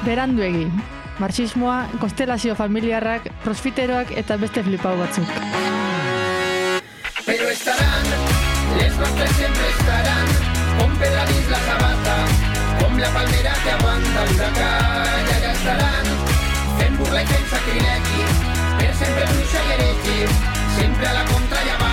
beranduegi. Marxismoa, konstelazio familiarrak, prosfiteroak eta beste flipau batzuk. Pero estarán, les nostres siempre estarán, con Pedradís la sabata, con la palmera que aguanta el huracán, allà estarán, fent burla i fent sacrilegi, per sempre bruixa i heretge, sempre a la contra ja va.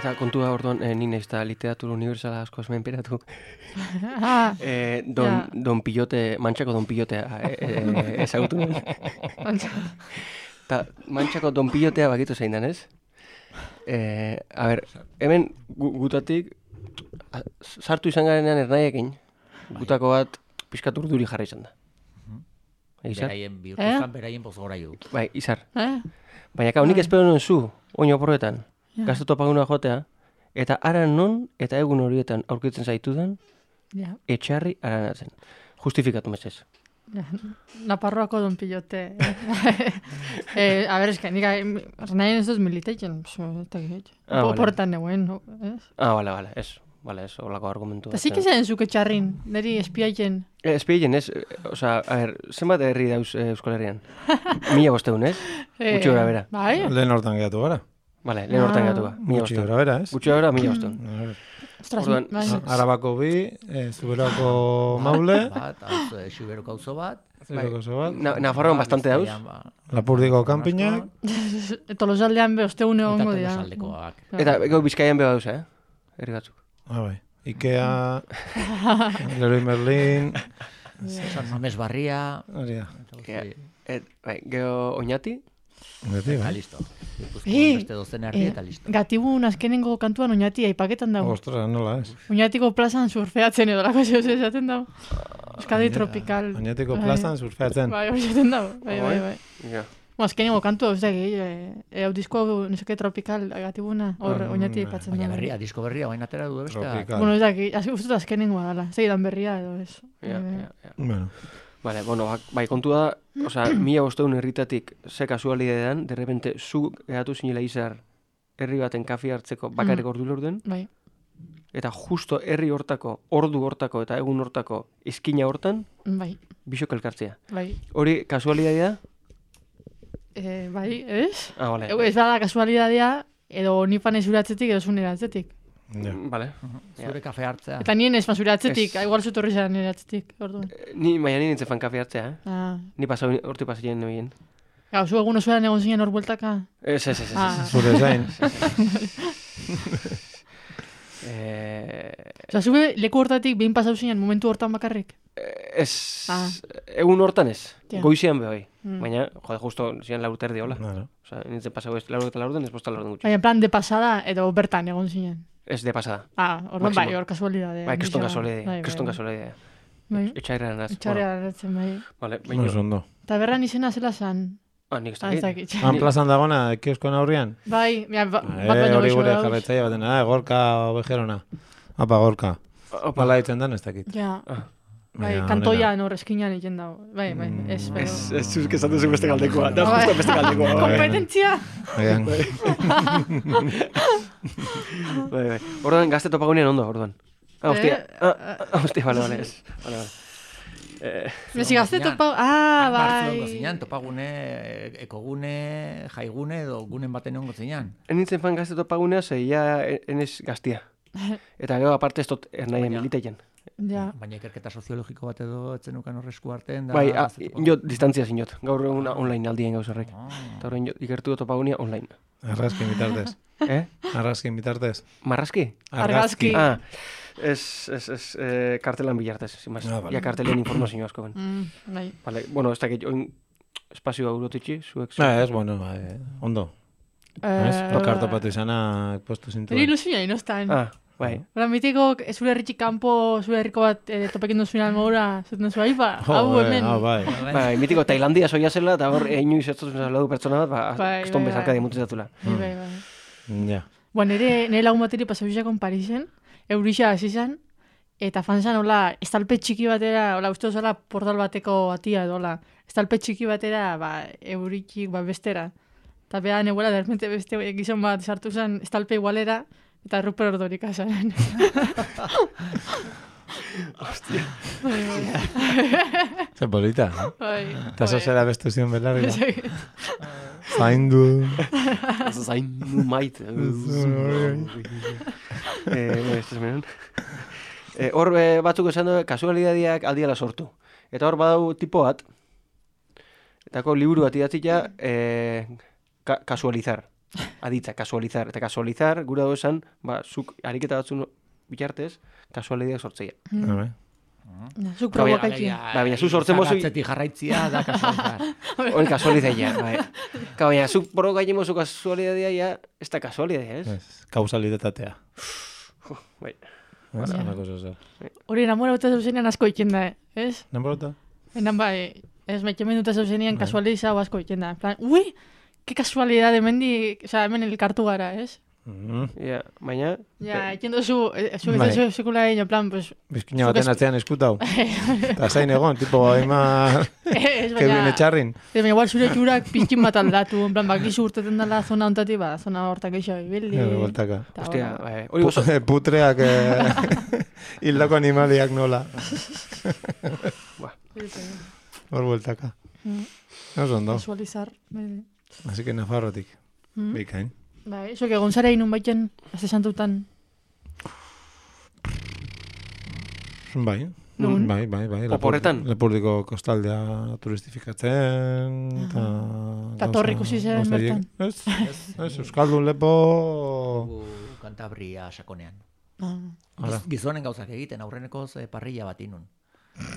Eta kontua orduan, nina ez da literatura universala asko menperatu. Don Pilote, Mantxako Don Pilotea ezagutu nuen. Eta Mantxako Don Pilotea bakitu zein dan, ez? A ber, hemen gutatik sartu izan garenean ernaiekin, gutako bat pixkat urduri jarra izan da. Beraien bihurtuzan, beraien bozgora jo. Bai, Izar. Baina honik espero nuen zu, oino porretan. Gaztetu apaguna jotea, eta aran non eta egun horietan aurkitzen zaitudan, etxarri aranatzen. Justifikatu mesez. Naparroako Don Pilote. A ver, es que nik nahi ez duz militeitzen. Portan neguen, ez? Bale, ez, holako argumentu. Eta zik izan zuk etxarrin, niri espiaitzen. Espiaitzen, ez? Osa, a ver, zenbat herri dauz Euskal Herrian? 1500, ez? Gutxi gora bera. Bai? Lehen hortan gehatu gara. Vale, lehen hortan gatu ba. Gutxi gora bera, ez? Gutxi gora, 1500. Arabako bi, Zuberako maule. Xuberoko auzo bat. Nafarroan bastante dauz. Lapurdiko kanpinak. Tolosaldean be, osteune hongo dira. Eta Bizkaian be dauz, herri batzuk. Bai. Ikea, Leroy Merlin, San Mames Barria. Gero Oñati. Eta listo. Beste dozen herri eta listo. Gatibun azkenengo kantuan Oñati aipaketan dago. Ostras, nola ez. Oñatiko plazan surfeatzen edo lako zehoz esaten dago. Euskadi Tropical. Oñatiko plazan surfeatzen. Bai, hori esaten dago. Bai. Azkenengo kantu, ez da, hau disko nesake Tropical Gatibuna, hor Oñati aipatzen dago. Baina berria, disko berria, baina atera du bestea. Bueno, ez da, ustut azkenengoa dala. Zeidan berria edo ez. Bueno. Vale, bueno, bai, kontua da, oza, 1500 herritatik ze kasualidadean, de repente, zu gehatu zinela Izar herri baten kafe hartzeko bakarrik ordu lorten, bai. Eta justo herri hortako, ordu hortako eta egun hortako izkina hortan, bai. Bisok elkartzea. Bai. Hori kasualidadea? Bai, ez? Vale. Ez bada kasualidadea, edo nipan ezuratzetik edo zunera atzetik. Vale. Zure kafe hartzea. Eta nien ez zure atzetik, igual zutorri zara nire atzetik, orduan. Baina nintzen fan kafe hartzea, Ni horti pasien nebien. Gau, zu egun osueran egon zinen hor bueltaka? Ez. Zure zain. Osa, zube leku hortatik behin pasau zinen momentu hortan bakarrik? Ez, egun hortan ez. Goizian behoi. Baina, justo ziren laurterdi hola. Osa, nintzen pasau ez laurden, ez posta laurden gutxi. Baina, plan de pasada edo bertan egon zinen? Ez de pasada. Orduan bai, hor kasualidade. Bai, keston kasualidade. Etxarrean az. Etxarrean atzen, bai. Vale, baina. Ondo. Eta berran izena zela zan? Nik ez dakit. Plazan dagona, kioskoan aurrian? Bai, bat baino hori gure jarretzaia baten, Gorka Obejerona. Apa, Gorka. Bala ditzen dan, ez dakit. Ja. Bai, kantoian hor eskinan egin dago. Bai, ez. Ez zuzk esatu zu beste galdekoa. Da, justo beste galdekoa. Kompetentzia! Bai. Orduan, gazte topagunean ondo, orduan. Hostia, vale, ez. Mezi gazte topagunean, bai. Bartzelongo zinean, topagune, ekogune, jaigune edo gunen baten ongo zinean. Nintzen fan gazte topagunea, zeia enez gaztia. Eta gero aparte ez dut ernaien militeien. Baina ikerketa soziologiko bat edo etzen ukan horrezku artean da... Bai, jo distantzia zinot. Gaur egun online aldien gauz horrek. Eta horrein ikertu topagunia online. Arrazkin bitartez. Arrazkin bitartez. Marrazki? Argazki. Ez kartelan bilartez. Ja kartelen informazio asko ben. Vale, bueno, ez dakit espazioa urotitxi, zuek... Ez, bueno, ondo. Lokartopatu izana postu zintu. Eri ilusioa inostan. Bai. Hora, mitiko, zure herritxik kanpo, zure herriko bat topekin duzunean maura, zuten zu aipa, hau hemen. Bai, mitiko Tailandia soia zela, eta hor inoiz ez dut du pertsona bat, keston bezarka dimutzen zatula. Bai. Ja. Bueno, nire lagun bateri pasabizakon Parisen, Eurixa hasi zen, eta fanzan, hola, estalpe txiki batera, hola, uste duzala portal bateko atia edo, hola, estalpe txiki batera, Euritxik, bestera. Eta beha, neguela, derrepente beste gizon bat sartu zen, estalpe igualera, eta Rupert Ordorik azaren. Hostia. Ze polita, no? Eta eso zera bestu zion belarri. Zaindu. Zaindu maite. Hor batzuk esan du, kasualidadiak aldiala sortu. Eta hor badau tipo bat, etako liburu bat idatzita, kasualizar. Aditza, kasualizar. Eta kasualizar, gura dago esan, zuk ariketa batzun bitartez, kasualideak sortzeia. Zuk provokaitzia. Baina, zuk sortzen mozu... Zagatzeti jarraitzia da kasualizar. Hori kasualizaia, bai. Baina, zuk provokaitzen mozu kasualidadia, ja, ez da kasualidadia, ez? Kausalidetatea. Bai. Hori, enamora eta zauzenean asko iken da, ez? Enamorota? Enan bai, ez maitemen dut zauzenean kasualizau asko iken da. En plan, ui, que casualidad de mendi, o sea, hemen elkartu gara, ez? Ja, baina... Ja, iken dozu, zu sekula egin, en plan, pues... Bizkina baten atzean eskutau. Eta zain egon, tipo, haima... Kevin etxarrin. Baina, igual zure txurak pizkin bat aldatu, en plan, bakizu urteten dela zona ontati, zona hortak eixo ibildi. Bueltaka. Hostia, hori gozo. Putreak, hildako animaliak nola. Hor bueltaka. Oso ondo. Kasualizar. Así que Nafarrotik. Bikain. Bai, zuek egon zara inun baiten, azte santutan. Bai. Bai. Oporretan? Lepurdiko kostaldea turistifikatzen. Eta torri ikusi zen bertan. Ez, Euskaldun lepo... Kantabria sakonean. Gizonen gauzak egiten, aurrenekoz parrilla bat inun.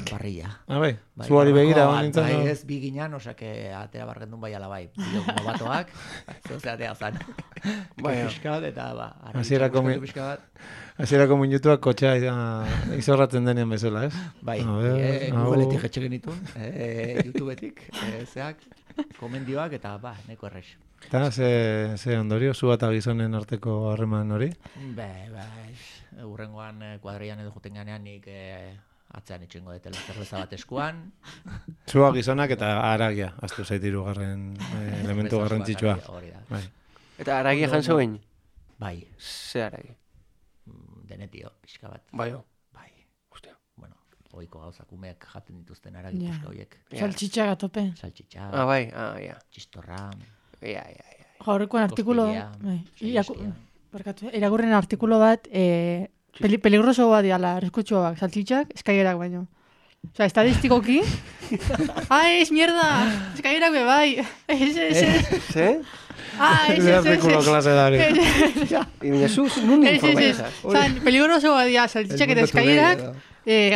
Parrilla. Bai, zuari begira. Bai, ez biginan, osake atera bargendun bai alabai. Bioko batoak, zozea atea zan. Piskat eta Hasierako minutuak kotxea izorratzen denean bezala, ez? Bai, Googleetik jetxe genitun, YouTubetik, zeak, komendioak eta neko errex. Eta ze ondorio, zu eta gizonen arteko harreman hori? Bai, urrengoan kuadrian edo juten ganean nik atzean itxengo detela zerbeza bat eskuan. Zua gizonak eta haragia, aztu zaitiru garren elementu garrantzitsua. Eta haragia jantzoen? Bai. Ze haragi? Denetio, pixka bat. Bai. Hostia. Bueno, oiko gauzak umeak jaten dituzten haragi pixka horiek. Saltxitxa gatope. Saltxitxa. Bai, ja. Txistorra. Horrekoan artikulo... Irakurren artikulo bat... Peligroso bat diala, arriskutsuak, saltxitxak, eskailerak baino. Osa, estadistikoki... es mierda! Eskailerak be, bai! ¿Sí? Es artikulo klase dari. Y Jesús, nun informeza. Peligroso bat diala, saltxitxak eta eskailerak,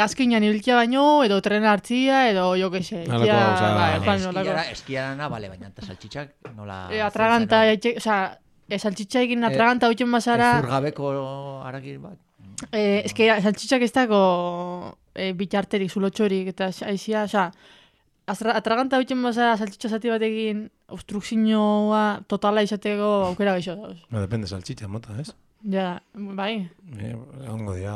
azkinan ibiltia baino, edo tren hartzia, edo jo que se. Eskiarana, bale, baina eta saltxitxak nola... Atraganta, saltxitxa egin atraganta hutxen bazara... Zurgabeko haragi bat. Saltxitxak ez dago bitarterik, zulotxorik, eta aizia, atraganta hutxen bazara saltxitxa zati bat egin obstrukzioa totala izateko aukera gaixo dauz. Depende saltxitxa mota, ez? Ja, bai. Ongo dia,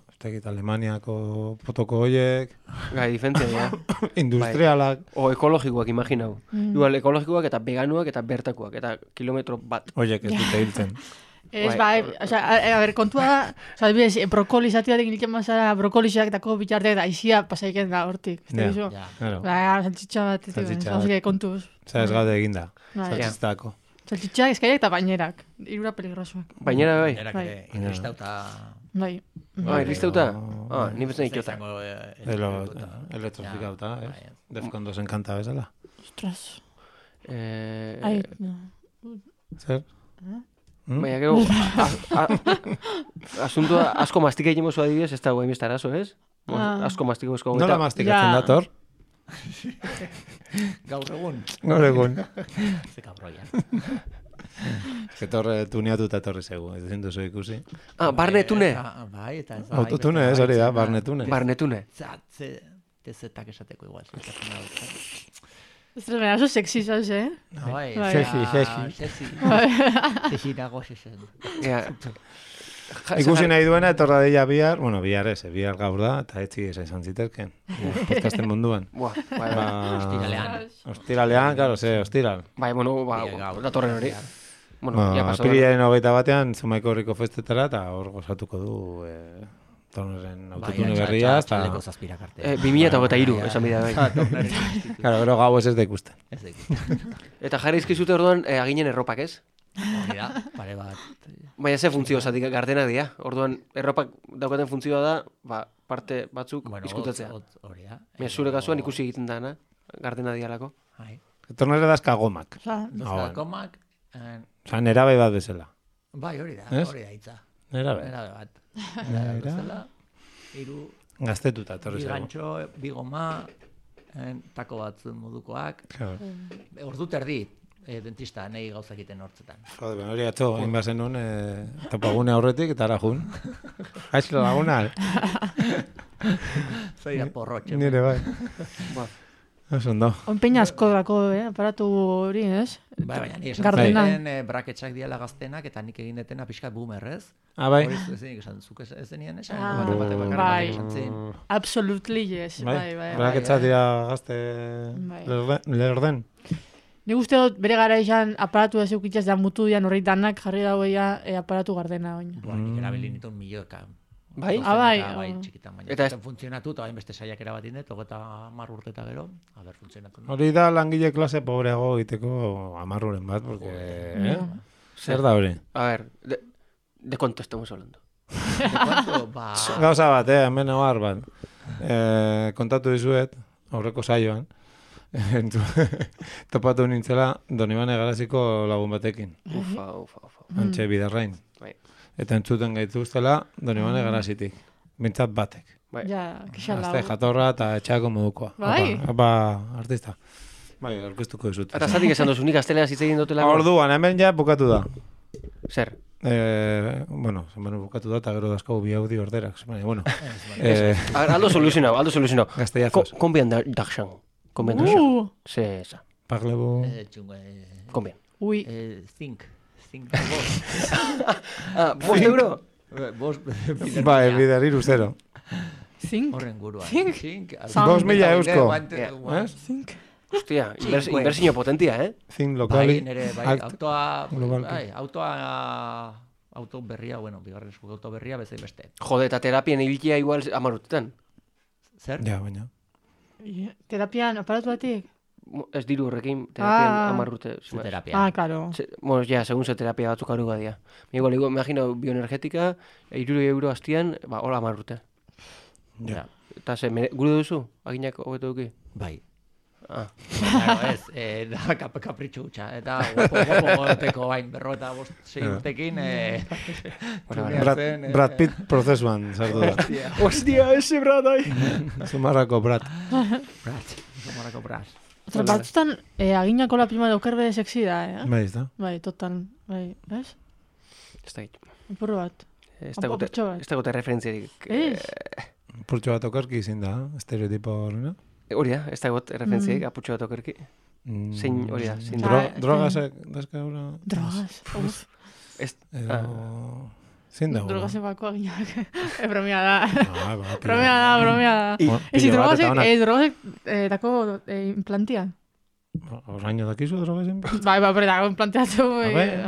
ez tekit Alemaniako potoko hoiek. Gai, diferentzia, ja. Industrialak. O ekologikoak, imaginau. Igual, ekologikoak eta veganuak eta bertakoak, eta kilometro bat. Hoiek ez dute hiltzen. Ez, bai, a ver, kontua da, brokoli zati batek hilken mazara, brokoliak dako bitarteak da, aizia pasaiken da hortik. Ja, saltxitxa bat, kontuz. Ez gaude eginda, saltxitzako. Saltxitxak, eskaiak eta bainerak, irura peligrosuak. Bainera, bai? Bainerak, irristauta... Bai. Irristauta? Ni bezen ikota. Elektrofikauta, ez? Defkondo zen kanta bezala. Ostras. Zer? Baina, gero, asuntua asko mastika egin mozu adibidez, ez da guain bestarazo, ez? Asko mastika mozu. Nola mastikatzen dator? Gaur egun. Gaur egun. Ze kabroia. Etorre tuneatuta etorri zegu, ez ezin duzu ikusi. Barnetune. Bai, eta ez da. Autotune, ez hori da, barnetune. Barnetune. Tezetak esateko igual. Ez da, oso sexy zauz, Bai, Sexy. Sexy nago xexen. Ikusi nahi duena, etorra deia bihar, bueno, bihar ez, bihar gaur da, eta etzi esan ziterken, podcasten munduan. Ostiralean, claro, ostiral. Bai, bueno, datorren hori. Bueno, ya pasó. Apirilaren 21 Zumaiko Herriko festetara, eta hor gozatuko du Torneren autotune berria, eta 2023, esan bidea bai. Claro, gero gau ez da ikusten. Eta jarri izkizute orduan aginen erropak, ez? Pare bat. Baina ze funtzio zatik gardenak dira. Orduan erropak daukaten funtzioa da, parte batzuk izkutatzea. Hori da. Zure kasuan ikusi egiten dana, gardena dialako. Tornere dazka gomak. Dazka gomak. Osa, nerabe bat bezala. Bai, hori da hitza. Nerabe bat. Nerabe bezala. Gaztetuta, torri zego. Bi gantxo, bi goma, tako bat modukoak. Ordu terdi, dentista, nahi gauzak iten hortzetan. Jode, hori atzo, inbazen nun, topagune aurretik, eta ara jun. Haixlo laguna. Zaira porrotxe. Nire bai. Eso ondo. Onpeina asko dako, aparatu hori, ez? Bai, baina ni esan zuten braketxak diala gaztenak, eta nik egin detena pixkat boomerrez. Bai. Hori zenik esan, zuk ez zenien esan? Bai, absolutely yes. Bai. Braketxak dira gazte lerden. Nik uste dut bere gara izan aparatu da zeukitzaz da mutu dian horreit danak jarri dagoia aparatu gardena oin. Nik erabili nituen milioeka. Bai? Bai, txikitan baina. Eta funtzionatu, eta hain beste saiak erabatin dut, 30 urte eta gero, funtzionatu. Hori da langile klase pobreago egiteko 10 uren bat, porque... Zer da hori? A ver, ¿de cuánto estamos hablando? ¿De cuánto? Gauza bat, hemen abar bat. Kontatu dizuet, aurreko saioan, topatu nintzela Donibane Garaziko lagun batekin. Ufa. Antxe bidarrain. Eta entzuten gaituztela Donibane Garazitik. Bintzat batek. Ja, kixalau. Azte jatorra eta etxeako modukoa. Bai? Apa, artista. Bai, orkestuko dizut. Eta zatik esan dozu, nik gaztelean zitzegin dutela. Orduan, hemen ja bukatu da. Zer? Bueno, zenbanu bukatu da, eta gero dazkagu bi audio orderak. Bueno. Aldo soluzionau. Gazteiazos. Combien d'argent? Combien d'argent? C'est ça. Parlez-vous? Combien? Ui. 5 ¿5 euro? Bai, bidariru 0. 5? Horren guruan. 5? 2.000 eusko. 5? Hostia, inversiño potentia, 5 lokali. Bai, auto berria, bueno, bigarren esku auto berria, bezai beste. Jode, eta terapien ibilkia igual 10 urtetan. Zer? Ja, baina. Terapian, aparatu batik? Ez diru horrekin, terapian 10 urte. Terapia. Claro. Bueno, ja, segun ze terapia batzuk aru badia. Igual, imagino, bioenergetika, 3 euro hastian, hola 10 urte. Ja. Eta ze, gure duzu? Aginak hobeto duki? Bai. Claro, ez, da kapritxu gutxa. Eta guapo goteko bain, 56 urtekin. Brad Pitt prozesuan, sartu da. Hostia, ese Brad ahí. Zumarrako Brad. Otra, batzutan, aginako la prima daukerbe sexy da, Bai, ez da. Bai, total. Bai, ez? Ez da gitu. Ipurru bat. Ez da gote referentziarik. Purtxo bat okerki izin da, estereotipo horrena. Hori da, ez da gote referentziarik, apurtxo bat okerki. Zein, hori da, zein. Drogasek, dazka hori? Drogas, uf. Zein da hori? Drogasen bako aginak. Bromia da. Bromia da. Ezi drogasek dako implantia. Oraino dakizu drogasen? Bai, dako implanteatu.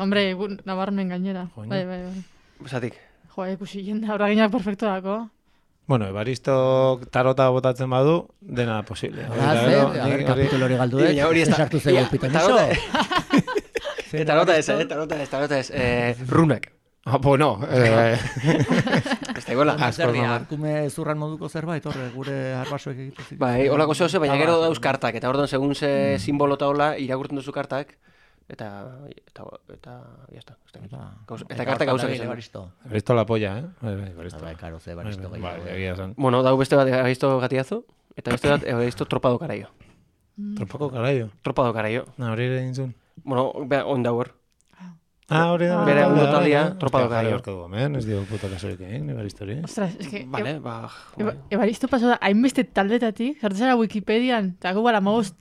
Hombre, nabarmen gainera. Bai. Zatik. Jo, ikusi jenda, hori aginak perfecto dako. Bueno, Evaristo tarota botatzen badu, dena posible. Kapitulo hori galdu dut. Hori ez da. Sartu zego pitonizo. Tarota ez. Runak. Bueno. Ez da iguala. Arkume zurran moduko zerbait, horre, gure arbasoek egiten zitu. Bai, holako zehose, baina gero dauz kartak. Eta orduan, segun ze simbolo eta hola, irakurtzen duzu kartak. Eta jazta. Eta kartak gauzak izan. Evaristo la polla, Bai, karo, ze Evaristo. Bueno, dau beste bat Evaristo gatiazo, eta beste bat Evaristo tropado karaio. Tropado karaio? Tropado karaio. Hori ere dintzun? Bueno, on dauer. Hori da. Bere ondo taldia, tropa do Jai Caio. horko gomen, ez dio puta kasorik egin, Ebaristori. Ostras, es que... Vale, Ebaristo paso da, hainbeste taldetatik, sartu zara Wikipedian, eta gu bala, amabos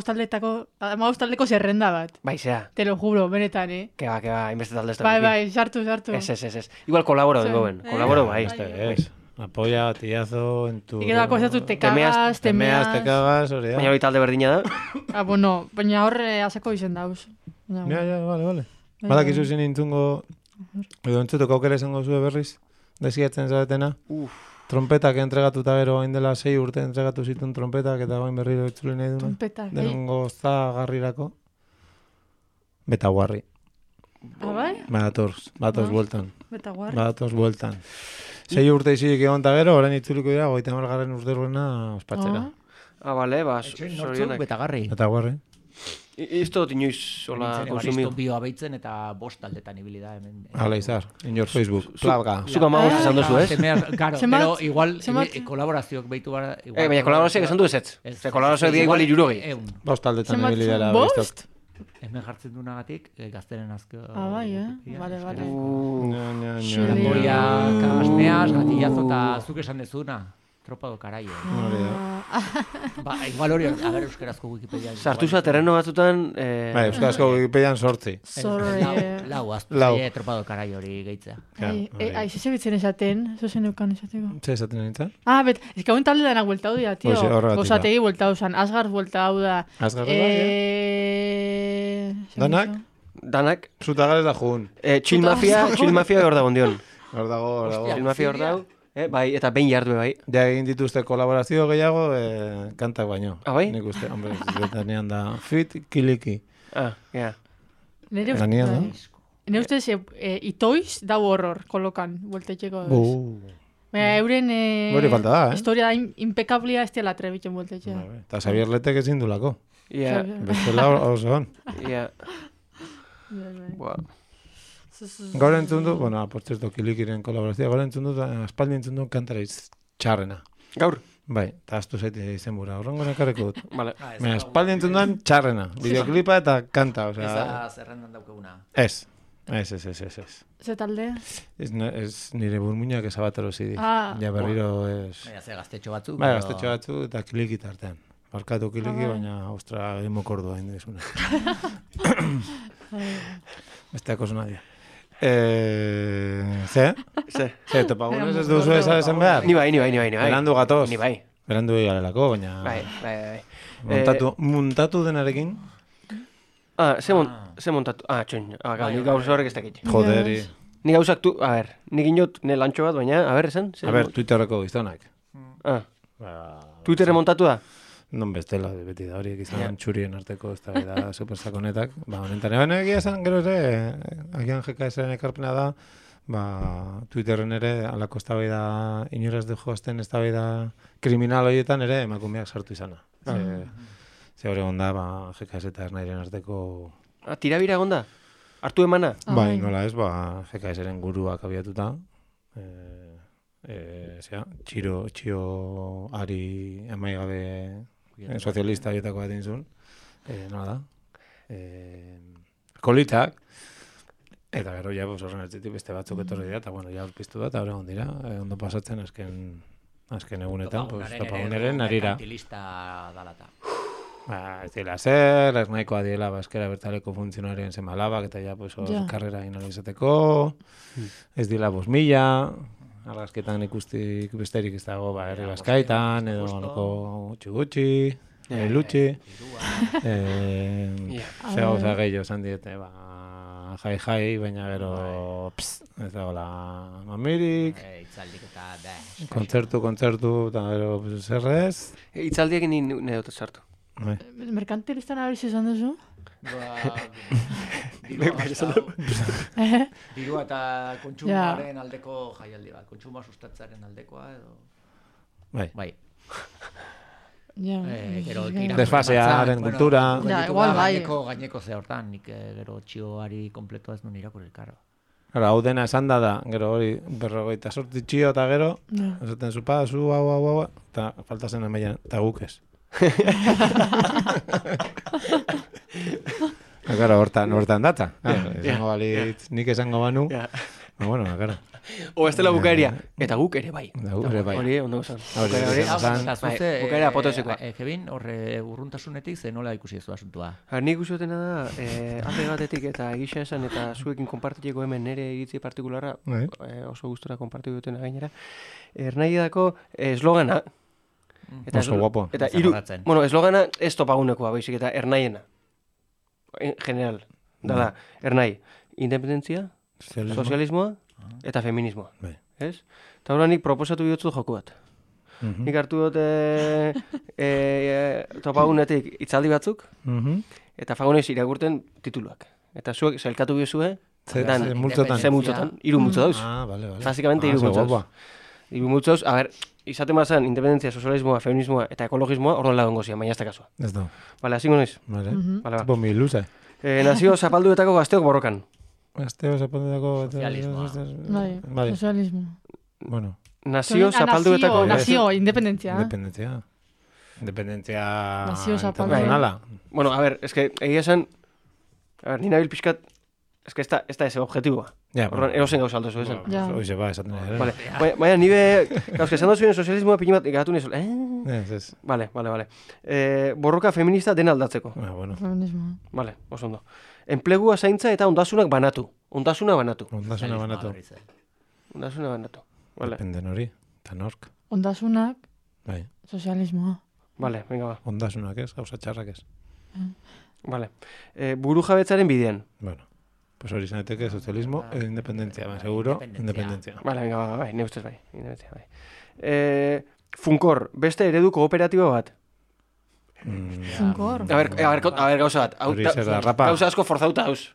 taldeko zerrenda bat. Bai, zea. Te lo juro, benetan, Que va, hainbeste talde ez da. Bai, sartu. Ez. Igual kolaboro dengo ben. Kolaboro, bai. Ez. Apoya, batillazo, en tu... Y que dako esatu te cagas, te cagas, hori da. Baina hori talde berdina da. Bueno, baina horre azako izen dauz. Ja, vale. Badakizu zin intzungo, edo entzutuko aukera izango zue berriz, desiatzen zaretena. Trompetak entregatuta gero, hain dela 6 urte entregatu zituen trompetak, eta hain berriro itzuli nahi duna. Trompetak, Denongo zagarrirako. Betaguarri. Bai? Batoz bueltan. Betaguarri. Batoz bueltan. 6 urte izilik egon eta gero, orain itzuliko dira, 50 urteruena ospatzera. Bale, Etxoin nortzuk Betagarri. Betaguarri. Isto dut inoiz hola konsumido. Evaristo bio abeitzen eta 5 taldetan ibili da hemen. Hala izar, in your Facebook, plaga. Zuka maus esan duzu, ez? Claro, pero igual kolaborazioak behitu gara... Baina kolaborazioak esan du ez? Kolaborazioak dira igual 60. 5 taldetan ibili dara. Bost? Hemen jartzen dunagatik, gazteren azko... Bai, Vale. Moriak, asneaz, gatillazo eta zuk esan dezuna. Tropa do Caraio. Igual hori, a ver, euskerazko Wikipedia. Sartu za terreno batzutan... Bai, euskarazko Wikipedian 8. Lau, Tropa do Caraio hori gehitzea. Aize bitzen esaten, zozen eukan esateko. Ze esaten nintzen? Bet, ez que hauen talde dana bueltau dira, tio. Osategi bueltau zan, Asgard bueltau da. Asgard da, Danak. Zutagarez da jun. Chill Mafia hor dago ondion. Hor dago. Chill Mafia hor dago. Bai, eta behin jardu bai. Ja egin dituzte kolaborazio gehiago, kantak baino. Bai? Nik uste, hombre, danean da Fit Kiliki. Ja. Nire ustez, itoiz dau horror kolokan, bueltetxeko. Euren historia da impecablia ez dela trebitzen bueltetxe. Eta Xavier Letek ezin dulako. Ja. Bestela oso hon. Ja. Gaur entzun du, por cierto, Kilikiren kolaborazioa, gaur entzun du, aspaldi entzun du kantaraiz txarrena. Gaur? Bai, eta astu zaite izen bura, horrengo nekarreko dut. Vale. Aspaldi entzun duan txarrena, videoklipa eta kanta, osea... Eza zerrendan daukeguna. Ez. Ze talde? Ez nire burmuinak ezabatero zidi. Ja berriro ez... Baina ze gaztetxo batzuk. Bai, gaztetxo batzuk eta Kiliki tartean. Barkatu Kiliki, baina ostra, emokordua hain dezuna. Besteako nadia. Ze, topagunez ez duzu esan behar? Ni bai. Berandu gatoz. Ni bai. Berandu egalelako, baina... Bai. Muntatu denarekin? Ze montatu? Txoin. Ni gauza horrek ez dakit. Joderi. Ni gauzak tu... A ber, nik inot ne lantxo bat, baina... A ber, esan? A ber, Twitterreko gizonak. Twitterre montatu da? Non bestela, beti da horiek izan txurien arteko ez da supersakonetak. Honetan, egia esan, gero ere, agian GKS-ren ekarpena da, Twitterren ere, alako eztabaida inoraz de joazten eztabaida kriminal horietan ere, emakumeak sartu izana. Ze hori onda, GKS eta Ernairen arteko... Tirabira egonda? Hartu emana? Bai, nola ez, GKS-ren guruak abiatuta. Txio ari amaigabe sozialista horietako bat inzun. Nola da? Kolitak. Eta gero ja horren ertzitik beste batzuk etorri dira, eta bueno, ja urpiztu da, eta horregon dira. Ondo pasatzen azken egunetan, topaguneren narira. Merkantilista dalata. Ez dira zer, ez nahikoa diela eskera bertaleko funtzionarien zemalabak, eta ja karrera inalizateko. Ez dila 5.000, argazketan ikustik besterik ez dago, herri Baskaitan, edo noko gutxi, lutxi. Ze gauza gehiago esan diete, jai, baina gero ez dagoela mamirik. Itzaldik eta kontzertu, eta gero zerrez. Itzaldiak nire dut sartu. Merkantilistan abertz izan duzu? Dirua eta kontsumaren aldeko jaialdi bat. Kontsuma sustatzaren aldekoa edo... Bai. Desfasearen kultura. Igual bai. Gaineko ze hortan, nik gero txioari kompleto ez nun irakurri, karo. Hau dena esan da, gero hori 48 txio eta gero, esaten zupa, hau, eta faltazen emaian, eta guk ez. Claro, hortan data. Esango balitz, nik esango banu. Bueno, claro. O estela bukaeria. Eta guk ere bai. Hori, ondo esan. Bukaera apoteosekoa. Kevin, horre urruntasunetik ze nola ikusi ez du asuntua? Nik usteotena da, alde batetik eta egisa esan eta zuekin konpartitzeko hemen nire iritzi partikularra, oso gustora konpartitu dutena gainera, ernaiedako eslogana. Oso guapo. Eta eslogana ez topagunekoa, baizik eta ernaiena. En general. Dala, ernai. Independentzia, sozialismoa eta feminismoa. Ez? Eta hori nik proposatu bihotzu joku bat. Nik hartu dut topagunetik itzaldi batzuk, eta fagonez iragurten tituluak. Eta zuek zelkatu bihozue, ze multzotan, 3 multzo dauz. Básicamente 3 multzo dauz. 3 multzo dauz, a ver, izaten bazan independentzia, sozialismoa, feminismoa eta ekologismoa, orduan lagungo zian, baina ez da kasua. Ez da. Vale, asingo noiz. Vale. Tipo mi luze. Nazio zapalduetako gazteok borrokan. Gazteok zapalduetako... Bai, sozialismo. Bueno. Nazio zapalduetako... Nazio, independentzia. Independentzia... Nazio zapalduetako. Bueno, a ver, es que egia esan... A ver, nina bilpixkat... Es que ez da ese objetiboa. Horren, erosen gauza aldo zu esan. Hoize ba, esaten ere. Vale, baina nibe... Gauzke, esan dozuen sozialismoa pini bat gatu nizol. Ez. Vale. Borroka feminista dena aldatzeko. Bueno. Feminismo. Vale, oso ondo. Enplegua zaintza eta ondasunak banatu. Ondasuna banatu. Dependen hori, eta nork. Ondasunak, Bai. sozialismoa. Vale, venga ba. Ondasunak ez, gauza txarrak ez. Vale. Buru jabetzaren bidean. Bueno, pues hori zaneteke sozialismo edo independentzia, seguro, independentzia. Vale, venga ba, bai, ne ustez bai. Independentzia, bai. Funkor, beste eredu kooperatiba bat. Funkor. A ver, gauza bat. Hori zer da, rapa. Gauza asko forzauta hauz.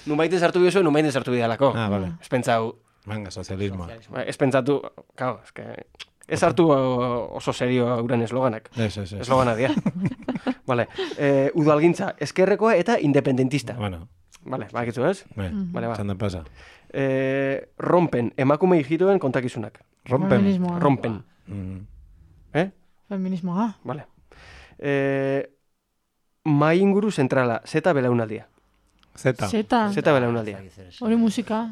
Numaiten sartu biozu, numaiten sartu bidalako. Vale. Ez pentsau... Venga, sozialismoa. Ez pentsatu... Claro, es que... Ez hartu oso serio uran esloganak. Ez. Eslogana dia. Vale. Udalgintza, eskerrekoa eta independentista. Bueno. Vale, bakitzu ez? Vale, ba. Txandan pasa. Rompen, emakume hijitoen kontakizunak. Rompen. Feminismoa. Vale. Mai inguru zentrala, zeta belaunaldia. Zeta belaunaldia. Hori musika.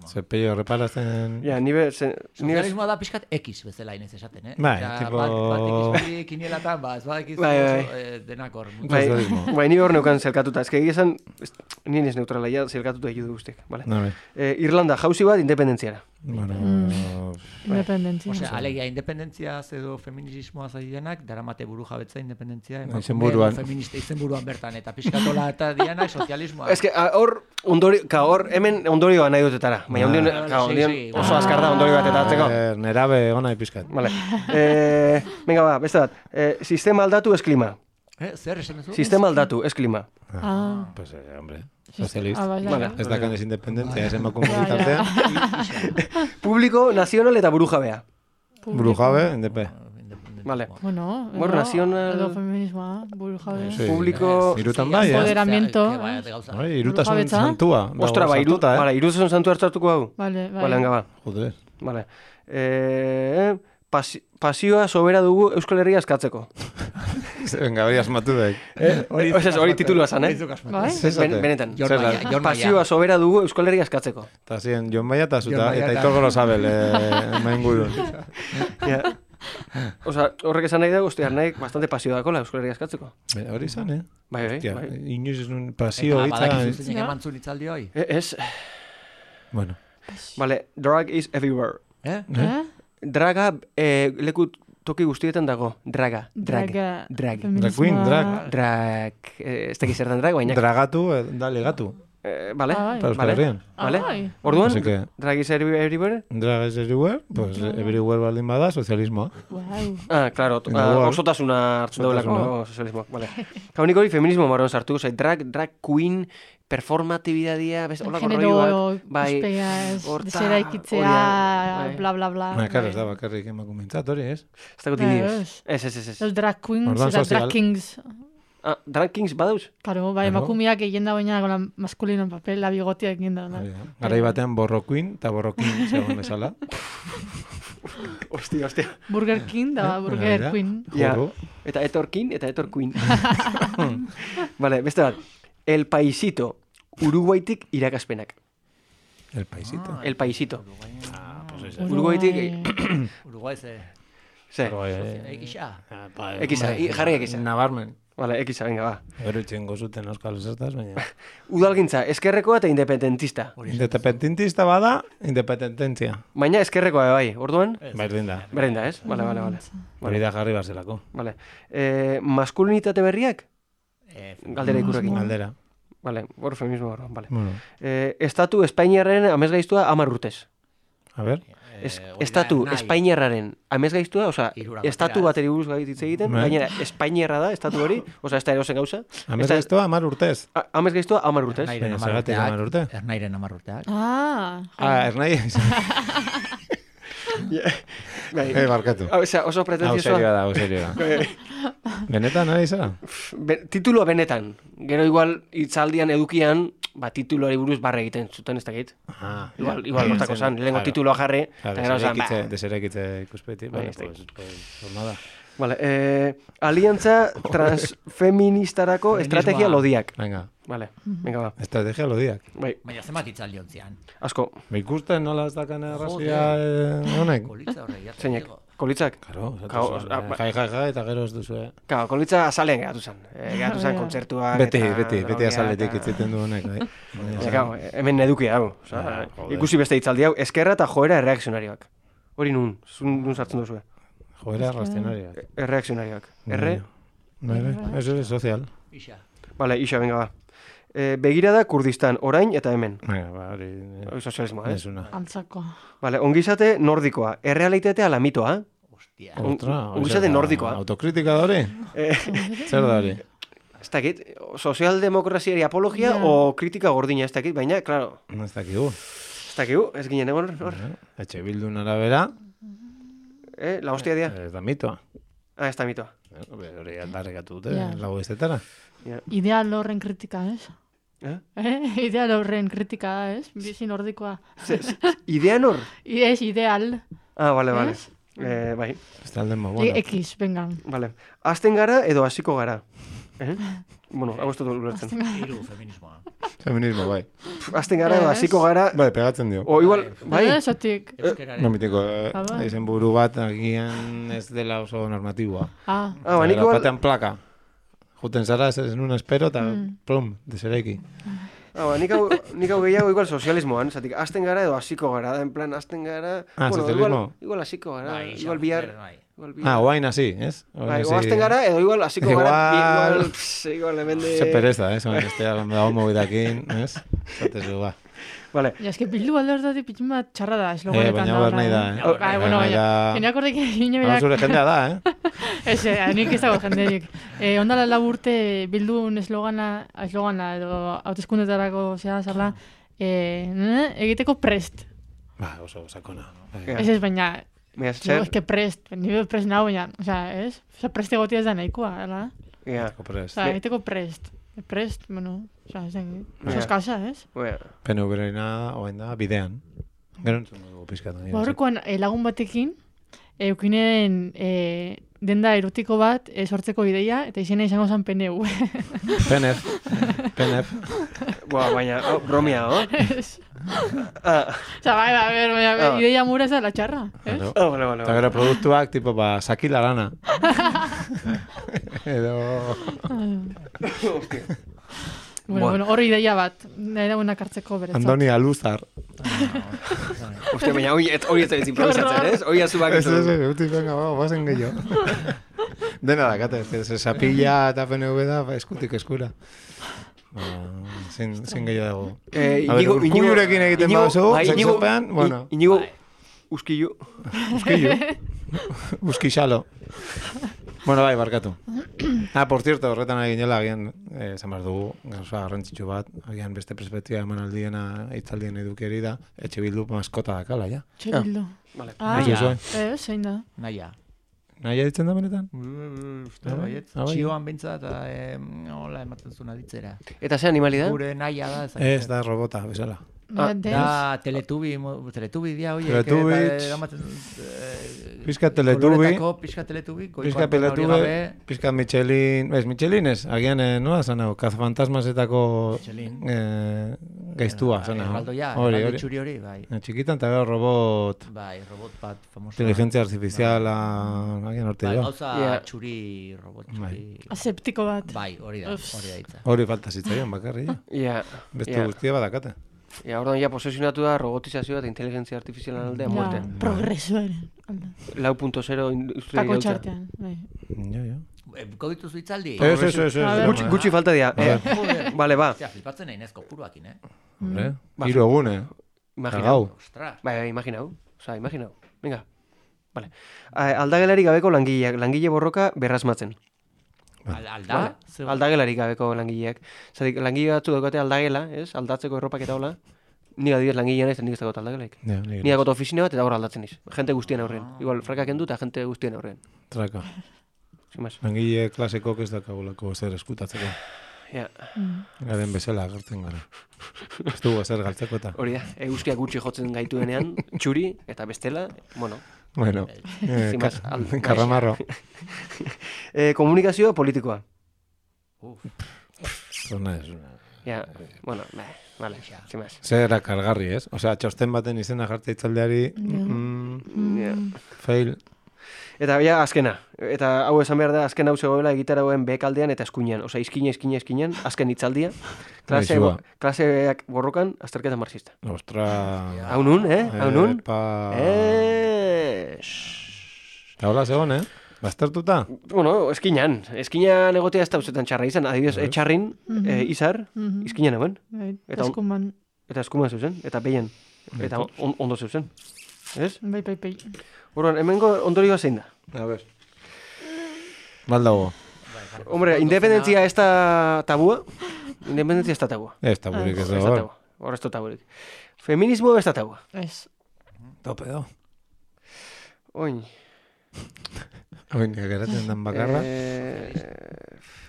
Zepello reparazten... Ja, nibe... Sozialismoa da pixkat X bezala inez esaten, Bai, tipo... Bat X kinielatan, ez bat X denakor. Bai, nire hor neukan zelkatuta. Ez que egizan, nien ez neutrala, ja zelkatuta egidu guztiak, vale? Irlanda, jauzi bat, independentziara. Bueno... Independentzia. Osea, alegia, independentzia edo feminismoa zaidenak, daramate buru jabetza independentzia, feminista izenburuan bertan, eta pixkatola eta dianak sozialismoa. Ez que, hor, hemen ondorioa nahi dutetara. Baina ondion oso azkar da ondorio bat eta atzeko. Nerabe ona ipizkat. Vale. Venga ba, beste bat. Sistema aldatu ez klima. Zer esan duzu? Sistema aldatu ez klima. Pues, hombre, socialist. Vale. Ez da kanez independentzia, ez emakume ditartea. Publiko, nazional eta burujabea. Burujabe, indepe. Vale. Bueno, nazional... Edo feminismoa, burujabe. Publiko... Irutan bai, Empoderamiento. Irutasun santua. Ostra, bai, irutasun santua hartzartuko hau. Vale. Venga, ba. Joder. Vale. Pasioa sobera dugu Euskal Herria askatzeko. Venga, hori asmatu daik. Hori titulua zan, Benetan. Pasioa sobera dugu Euskal Herria askatzeko. Eta ziren, Jon Baia eta zuta, eta Aitor Gorosabel, maingurun. Osa, horrek esan nahi dago, nahi bastante pasio dakola Euskal Herria askatzeko. Hori zan, Bai. Inoiz ez un pasio hitza. Eta badakizu zein emantzun itzaldi hoi? Ez. Bueno. Vale, drag is everywhere. Draga leku toki guztietan dago. Drag. Drag queen, drag. Ez tekiz zertan drag, baina. Dragatu, da legatu. Vale. Vale. Orduan, drag is everywhere? Drag is everywhere, pues everywhere baldin bada, sozialismoa. Claro, osotasuna hartzen daulako sozialismoa. Vale. Kaunik hori feminismo marron sartu, drag queen, performatibidadia, holako roioak. Ikuspegiaz, desera ikitzea, bla, bla, bla. Claro, ez da bakarrik emakumentzat hori, ez? Ez dago timidiz. Ez. Los drag queens, eta drag kings. Drag kings badauz? Claro, bai, emakumeak egin da baina con la masculino en papel, la bigotia egin da. Garai batean borro queen eta borro king zegoen esala. Hostia. Burger King da Burger Queen. Eta etorkin, eta etorkuin. Vale, beste bat. El Paisito, Uruguaitik irakaspenak. El Paisito. El Paisito. Pues ese. Uruguaitik... Uruguay ze. Ze. Ekixa. Ekiza, jarri ekiza. Nabarmen. Vale, ekiza, venga, ba. Gero itxengo zuten euskal zertaz, baina... Udalgintza, eskerrekoa eta independentista. Independentista bada, independentzia. Baina eskerrekoa bai, orduan? Berdin da. Berdin da, ez? Vale. Hori da jarri barzelako. Vale. Maskulinitate berriak? Galdera ikurrekin. Galdera. Vale, hor feminismo hor, vale. Bueno. Estatu Espainiarren amesgaiztua 10 urtez. A ver. Estatu Espainiarraren amesgaiztua, osea, estatu bateri buruz hitz egiten, gainera Espainiarra da, estatu hori, osea, ez da erosen gauza. Amesgaiztua 10 urtez. Amesgaiztua 10 urtez. Zergatik 10 urte. Ernairen 10 urteak. Ernai. Barkatu. Oso pretenziosoa. Hau serio da. Benetan, nahi zara? Tituloa benetan. Gero igual itzaldian edukian, tituloari buruz barre egiten zuten ez dakit. Igual hortako zan, lehenko tituloa jarri. Deserekitze ikuspeti. Formada. Vale, aliantza transfeministarako estrategia lodiak. Venga. Vale, venga ba. Estrategia lodiak. Baina zenbat itzaldi ontzian. Asko. Ikusten nola ez dakan errazia honek? Kolitza horre. Zeinek? Kolitzak? Karo, jai, eta gero ez duzu, Karo, kolitza azalean geratu zen. Geratu zen kontzertuak. Beti azaletik itziten du honek, bai. Hemen edukia hau. Ikusi beste itzaldi hau, eskerra eta joera erreakzionarioak. Hori nun sartzen duzu. Joera reakzionarioak. Erreakzionarioak. Erre? Eso es social. Ixa. Vale, Ixa, venga ba. Begirada Kurdistan, orain eta hemen. Hori sozialismoa, ez una. Antzako. Vale, ongizate nordikoa. Errealitatea ala mitoa. Hostia. Ongizate nordikoa. Autokritika da hori? Zer da hori? Ez dakit, sozialdemokraziari apologia o kritika gordina ez dakit, baina, klaro. Ez dakigu. Ez dakigu, ez ginen egon hor. Etxe bildun arabera. La hostia dia. Ez da mitoa. Ez da mitoa. Hori aldarrekatu dute, lagu iztetara. Ideal horren kritika, ez? Ideal horren kritika da, ez? Bizi nordikoa. Idean hor? Ez, ideal. Vale. Bai. Ez talden ma, bueno. X, venga. Vale. Azten gara edo hasiko gara. Bueno, hau ez dut ulertzen. Hiru feminismoa. Feminismo, bai. Azten gara edo hasiko gara... Bai, pegatzen dio. O igual, bai. Esatik. No mitiko, izen buru bat agian ez dela oso normatiboa. Nik igual... Batean plaka. Juten zara, ez nun espero, eta plum, desereki. Nik hau gehiago igual sozialismoan, zatik, azten gara edo hasiko gara, en plan, azten gara... sozialismo? Igual hasiko gara, igual bihar... Oain hasi, ez? O azten gara edo igual hasiko gara, igual hemen de... Se pereza, ez? Oain estea, dago mobidakin, ez? Zatezu, ba. Vale. Ja, eske bildu alderdatik pitxin bat txarra da, esloganetan da. Baina ber nahi da, Bueno, geneak horrek egin berak... Zure jendea da, Ez, nik ez dago jenderik. Ondala laburte bildun eslogana edo hauteskundetarako zera zarla, egiteko prest. Ba, oso sakona. Ez, baina... Ez que prest, nire prest nago, baina, ez? Prest egotia ez da nahikoa, ala? Egiteko prest. Prest, bueno, ez da, eskasa, ez? PNV-rena, oain da, bidean. Gero entzun dugu pizkatu. Horrekoan lagun batekin, eukinen denda erotiko bat sortzeko ideia, eta izena izango zen PNV. PNF. Baina, bromia, no? Baina, ideia mura ez da la txarra, ez? Vale. Eta gero produktuak, tipo, sakila lana. Edo... Bueno, hori ideia bat, nahi da buenak hartzeko beretzat. Andoni Aluzar. Uste, baina hori ez da improvisatzen, ez? Hori azubak ez. Ez, venga, bazen gehiago. Dena da, kate, zapilla eta PNV da, eskutik eskura. Zin gehiago dago. Urkullurekin egiten baduzu, sexopean, bueno. Inigo, uskillu. Uskixalo. Bueno, bai, barkatu. Por cierto, horretan egin jela, agian, esan behar dugu, gauza garrantzitsu bat, agian beste perspektiba eman aldiena, itzaldien edukeri da, etxe bildu maskota dakala, ja? Etxe bildu. Zein da? Naia ditzen da benetan? Txioan bintzat, hola ematen zuen aditzera. Eta ze animali da? Gure naia da. Ez da robota, bezala. Da, teletubi dia, oie. Pizka teletubi. Pizka teletubi. Pizka Michelin. Michelin ez, agian, nola zanau, kazafantasmasetako gaiztua, zanau. Erraldo txuri hori, bai. Txikitan eta gero robot. Bai, robot bat famoso. Inteligencia artificiala, agian horte jo. Gauza txuri, robot txuri. Aseptiko bat. Bai, hori da hitza. Hori falta zitzaion, bakarri. Beste guztia badakate. Orduan ja posesionatu da robotizazioa eta inteligentzia artifizialan aldea muerte. Progresoaren. 4.0 industria Tako txartean. Buko dituzu itzaldi? Gutxi falta dira. Vale, ba. Flipatzen nahi nezko puruakin, Hiru egune. Imaginau. Bai, imaginau. Imaginau. Venga. Vale. Aldagelari gabeko langileak. Langile borroka berrasmatzen. Alda? Aldagelarik gabeko langileak. Zatik, langile batzu daukate aldagela, ez? Aldatzeko erropak eta hola. Ni adibidez langilea naiz, nik ez dagoet aldagelaik. Ni dagoet ofizina bat eta hor aldatzen niz. Jente guztien aurrean. Igual, frakak endu eta jente guztien aurrean. Traka. Langile klasekok ez dakagulako zer eskutatzeko. Garen bezala agertzen gara. Ez dugu zer galtzeko eta. Hori da, eguzkiak gutxi jotzen gaituenean, txuri eta bestela, bueno, karramarro. Komunikazio politikoa. Zona ez. Bueno, vale, zimaz. Zera kargarri, ez? Osea, txosten baten izena jartza itzaldeari, fail. Eta azkena. Eta hau esan behar da, azken hau zegoela egitaragoen bekaldean eta eskuinean. Osea, izkinean, azken itzaldia. Klaseak borrokan, azterketa marxista. Ostra... Hau nun, Hau nun? Eta hola zegoen, Baztertuta? Bueno, eskinean egotea ez da uzetan txarra izan. Adibidez, etxarrin, izar, izkinean egon. Eta eskuman. Eta eskuman zeuzen, eta behian. Eta ondo zeuzen. Ez? Bai. Horren, hemengo ondorioa zein da? A ver. Baldago. Hombre, independentzia ez da tabua? Independentzia ez da tabua. Ez taburik ez dago. Hor ez da taburik. Feminismo ez da tabua. Ez. Tope do. Oin, geratzen dan bakarra.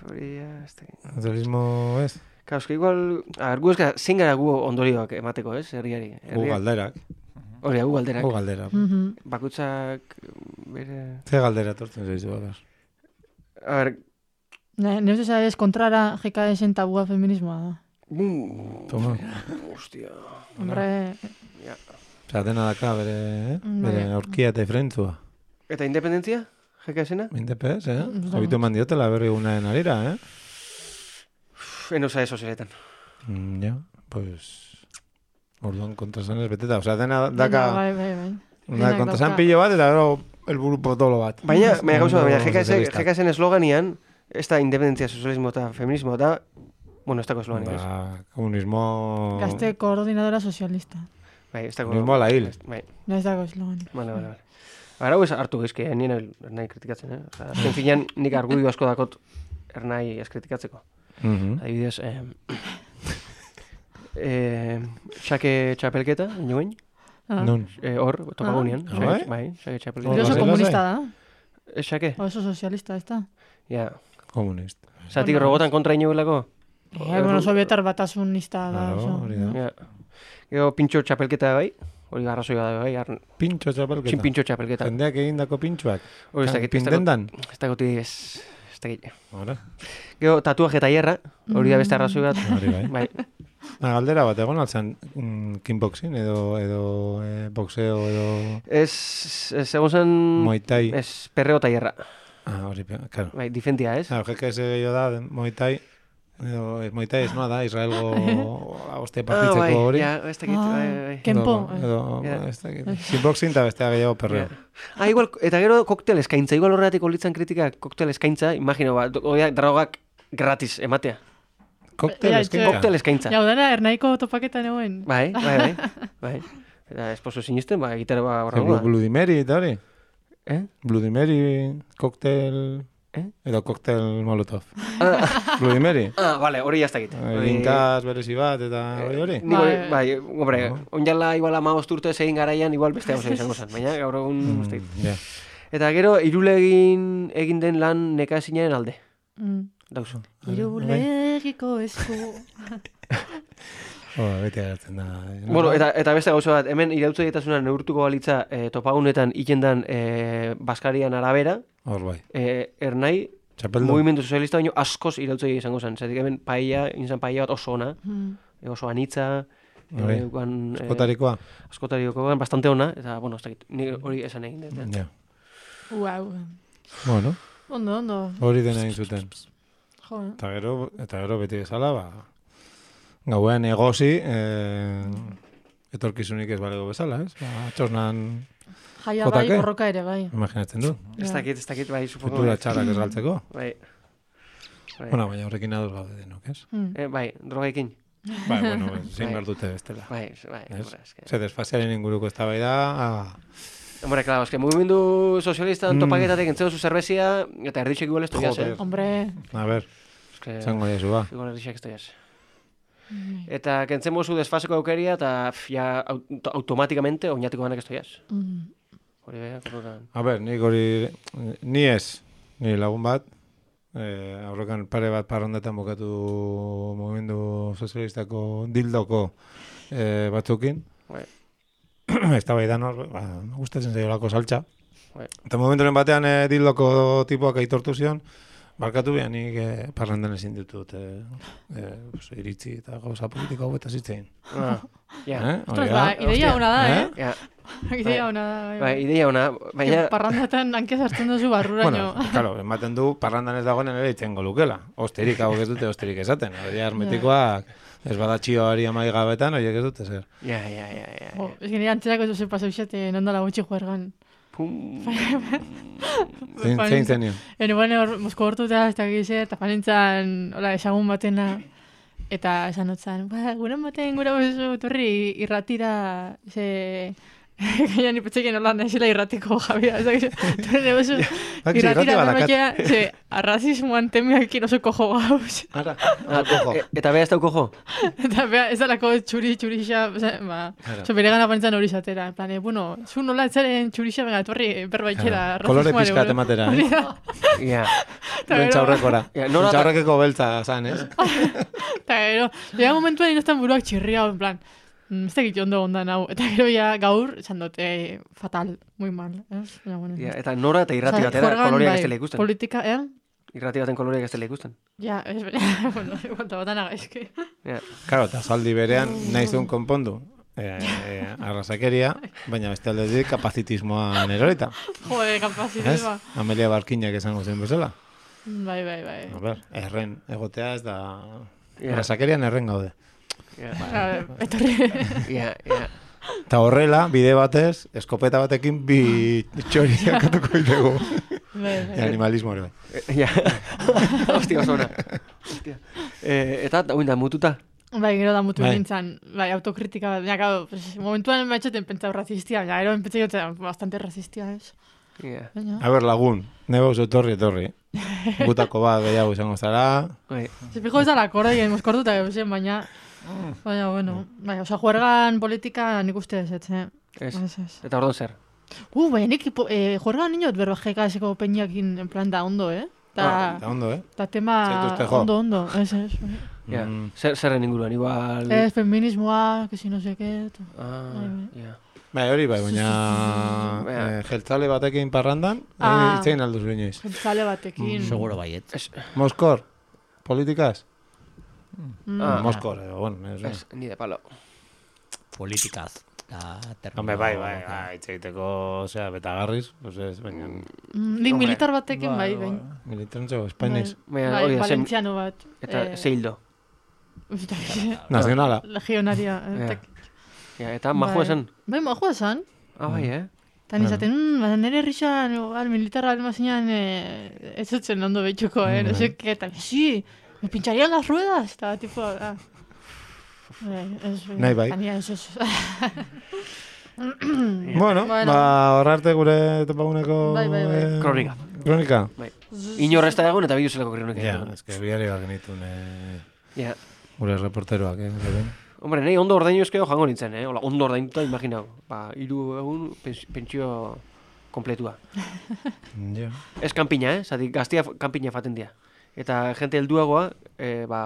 Hori ez da. Nacionalismo ez? Kauske, igual... gu ez gara, zein gara gu ondorioak emateko, ez? Herriari. Gu galderak. Hori, gu galderak. Gu galderak. Bakutsak bere... Ze galdera tortzen zaizu, bakar. A ver... Ne uste sabes, kontrara GKS-en tabua feminismoa da. Toma. Hostia. Hombre... Osa, dena daka bere aurkia eta ifrentzua. Eta independentzia? GKS-ena? Independez, Habitu eman diotela berri gunaen arira, Eno zae sozialetan. Pues... Orduan kontrasan ez beteta. Osa, dena daka... Bai. Kontrasan pillo bat eta gero elburu potolo bat. Baina GKS-en esloganian, ez da independentzia, sozialismo eta feminismo eta... Bueno, ez dako esloganian. Komunismo... Gazte koordinadora sozialista. Bai, ez dako... Komunismo ala hil. Ez dako esloganian. Vale. Hau ez hartu gezke, nien ernai kritikatzen, Azken finean nik argudio asko dakot ernai ez kritikatzeko. Adibidez, xake txapelketa, inoen? Non? Hor, topagunean. Bai, xake txapelketa. Hori oso komunista da. Xake? Oso sozialista, ez da? Ja. Komunist. Zatik robotan kontra inoelako? Bueno, sovietar batasunista da. Hori da. Gero pintxo txapelketa bai? Hori garrazoia da bai? Pintxo txapelketa? Pintxo txapelketa. Jendeak egindako pintxoak? Hori ez dakit. Pintendan? Ez dakoti ez dakit. Hora? Gero tatuaje eta hierra, hori da beste arrazoi bat. Hori bai. Galdera bat, egon altzan kickboxing edo boxeo edo... Ez egon zen... Muay Thai. Ez perreo eta hierra. Hori, claro. Bai, difentia, ez? GKS gehiago da, Muay Thai. Muay Thai ez noa da, Israelgo agoste partitzeko hori. Ez dakit, bai. Kenpo. Ez dakit. Kickboxing eta bestea gehiago perreo. Igual, eta gero koktel eskaintza. Igual horretik olitzan kritika koktel eskaintza. Imagino, drogak gratis ematea. Koktel eskaintza. Jau dana, ernaiko topaketan egoen. Bai. Eta esposo sinisten, gitara horra gola. Bloody Mary eta hori? Bloody Mary, koktel... Edo koktel molotov. Bloody Mary? Vale, hori jaztakit. Linkaz berezi bat eta hori? Bai, hombre, onjala igual 15 urte egin garaian, igual beste hau izango zen. Baina, gaur egun ustakit. Eta gero, irulegin egin den lan nekazinaren alde. Dauzu. Irulegiko esku. Beti agertzen da. Bueno, eta beste gauza bat, hemen irautze dietasuna neurtuko balitza topagunetan ikendan Baskarian arabera, hor bai. Ernai, Mugimendu Sozialista baino askoz irautze izango zen. Zatik hemen inzan paella bat oso ona, oso anitza, askotarikoa, bastante ona, eta, bueno, ez dakit, ni hori esan egin dut. Ja. Wow. Bueno. Ondo. Hori dena egin zuten. Jo. Eta gero beti bezala, gauean egozi, etorkizunik ez balego bezala, ez? Txosnan jaia bai, borroka ere, bai. Imaginatzen du. Ez dakit, bai, supongo. Futura txarrak ez galtzeko. Bai. Bueno, baina horrekin ados gaude denok, ez? Bai, drogekin. Bai, bueno, zin behar dute bestela. Bai. Ze desfaziaren inguruko eztabaida. Hombre, claro, es que mugimendu sozialistan topaketatek entzeo zu zerbezia, eta erditxek igual esto jaz, Hombre. A ver, zango jazu, ba. Igual erditxek esto jaz. Eta kentzen mozu desfaseko aukeria, eta ya automáticamente oinatiko ganak esto jaz. Hori beha, korrokan. A ver, ni lagun bat, aurrekan pare bat parrandetan bokatu mugimendu sozialistako dildoko batzukin. Eta bai da nor, gustatzen zaiolako saltza. Eta momenturen batean dildoko tipoak aitortu zion, barkatu behan nik parrandan ezin ditut iritzi eta gauza politiko hau eta zitzein. Ostras, ideia hona da, Ideia hona da, bai. Ideia hona, baina... Parrandatan hankez hartzen duzu barruraino. Bueno, claro, ematen du parrandan ez dagoen ere itzen golukela. Osterik hau ez dute osterik esaten. Hori hermetikoak... Ez badatxioari amai gabetan, horiek ez dute zer. Ja. Ez gine antzerako ez duzen pasau xate, nondala gutxi juergan. Zein zenio. Bueno, Mosko hortuta, ez da gizer, eta panintzan, esagun batena, eta esan dutzen, guren baten gura bozu torri irratira, Gaina ni petxekin holan esela irratiko jabia. Torre bozu irratira berbakia, arrazismoan temiakin oso kojo gauz. Eta beha ez dau kojo? Eta beha ez dalako txurixa, bere gana panintzan hori zatera. En plan, bueno, zu nola etzaren txurixa, venga, torri berbaikera. Kolore pizkat ematera, Bentsaurrekora. Bentsaurrekeko beltza zan, ez? Eta gero, llega momentuan inoztan buruak txirria, en plan, ez da gitu ondo ondan hau. Eta gero ya gaur, esan dut, fatal, muy mal. Eta nora eta irrati batera koloriak ez dela ikusten. Politika, Irrati baten koloriak ez dela ikusten. Ja, ez bera, bueno, igualta batan agaizki. Karo, eta saldi berean nahizun konpondu. Arrasakeria, baina beste aldetik kapazitismoan erorita. Jode, kapazitismoa. Amelia Barkinak esango zen bezala. Bai. A ber, erren egotea ez da... Arrasakerian erren gaude. Etorri. Eta horrela, bide batez, eskopeta batekin bi txoriak atuko itego. Animalismo hori. Hostia, zona. Eta, da mututa? Bai, gero da mutu nintzen, autokritika bat. Momentuan maitxeten pentsau razistia, gero pentsau bastante razistia, ez? A ber, lagun, nebo oso etorri. Gutako bat gehiago izango zara. Fijo ez da la korda, moskortuta gauzen, baina... bueno, oza, juergan politika nik uste ez, Eta ordon zer? Baina nik juergan niñot berbajeka eseko peñakin en plan da ondo, Da ondo, Ta tema ondo, ez. Zerren inguruan, igual... Ez, feminismoa, que si no sé qué... Hori bai, baina jeltzale batekin parrandan, itzein alduz inoiz. Jeltzale batekin. Seguro baiet. Moskor, politikaz? Moskor, bueno. Ni de palo. Politikaz. Hombre, bai, itzeiteko, osea, betagarriz, pues ez, baina... Nik militar batekin, bai. Militarantzo, espainiz. Bai, valentziano bat. Eta zeildo. Nazionala. Legionaria. Eta majua esan? Bai, majua esan. Bai, Eta nizaten, nire rixan, militarra almazinean ez zutzen ondo betxuko, no sé qué, eta sí, me pincharían las ruedas, eta tipo... Nahi bai. Bueno, horrarte gure topaguneko... Bai. Kronika. Inorrezta egun eta biduzelako kronika. Ja, eske biari bat genitun gure reporteroak, Hombre, nahi ondo ordainu ezkeo jango nintzen, ondo ordainuta, imaginau. 3 egun pentsio kompletua. Ez kanpina, zati gaztia kanpina faten dia. eta jente helduagoa,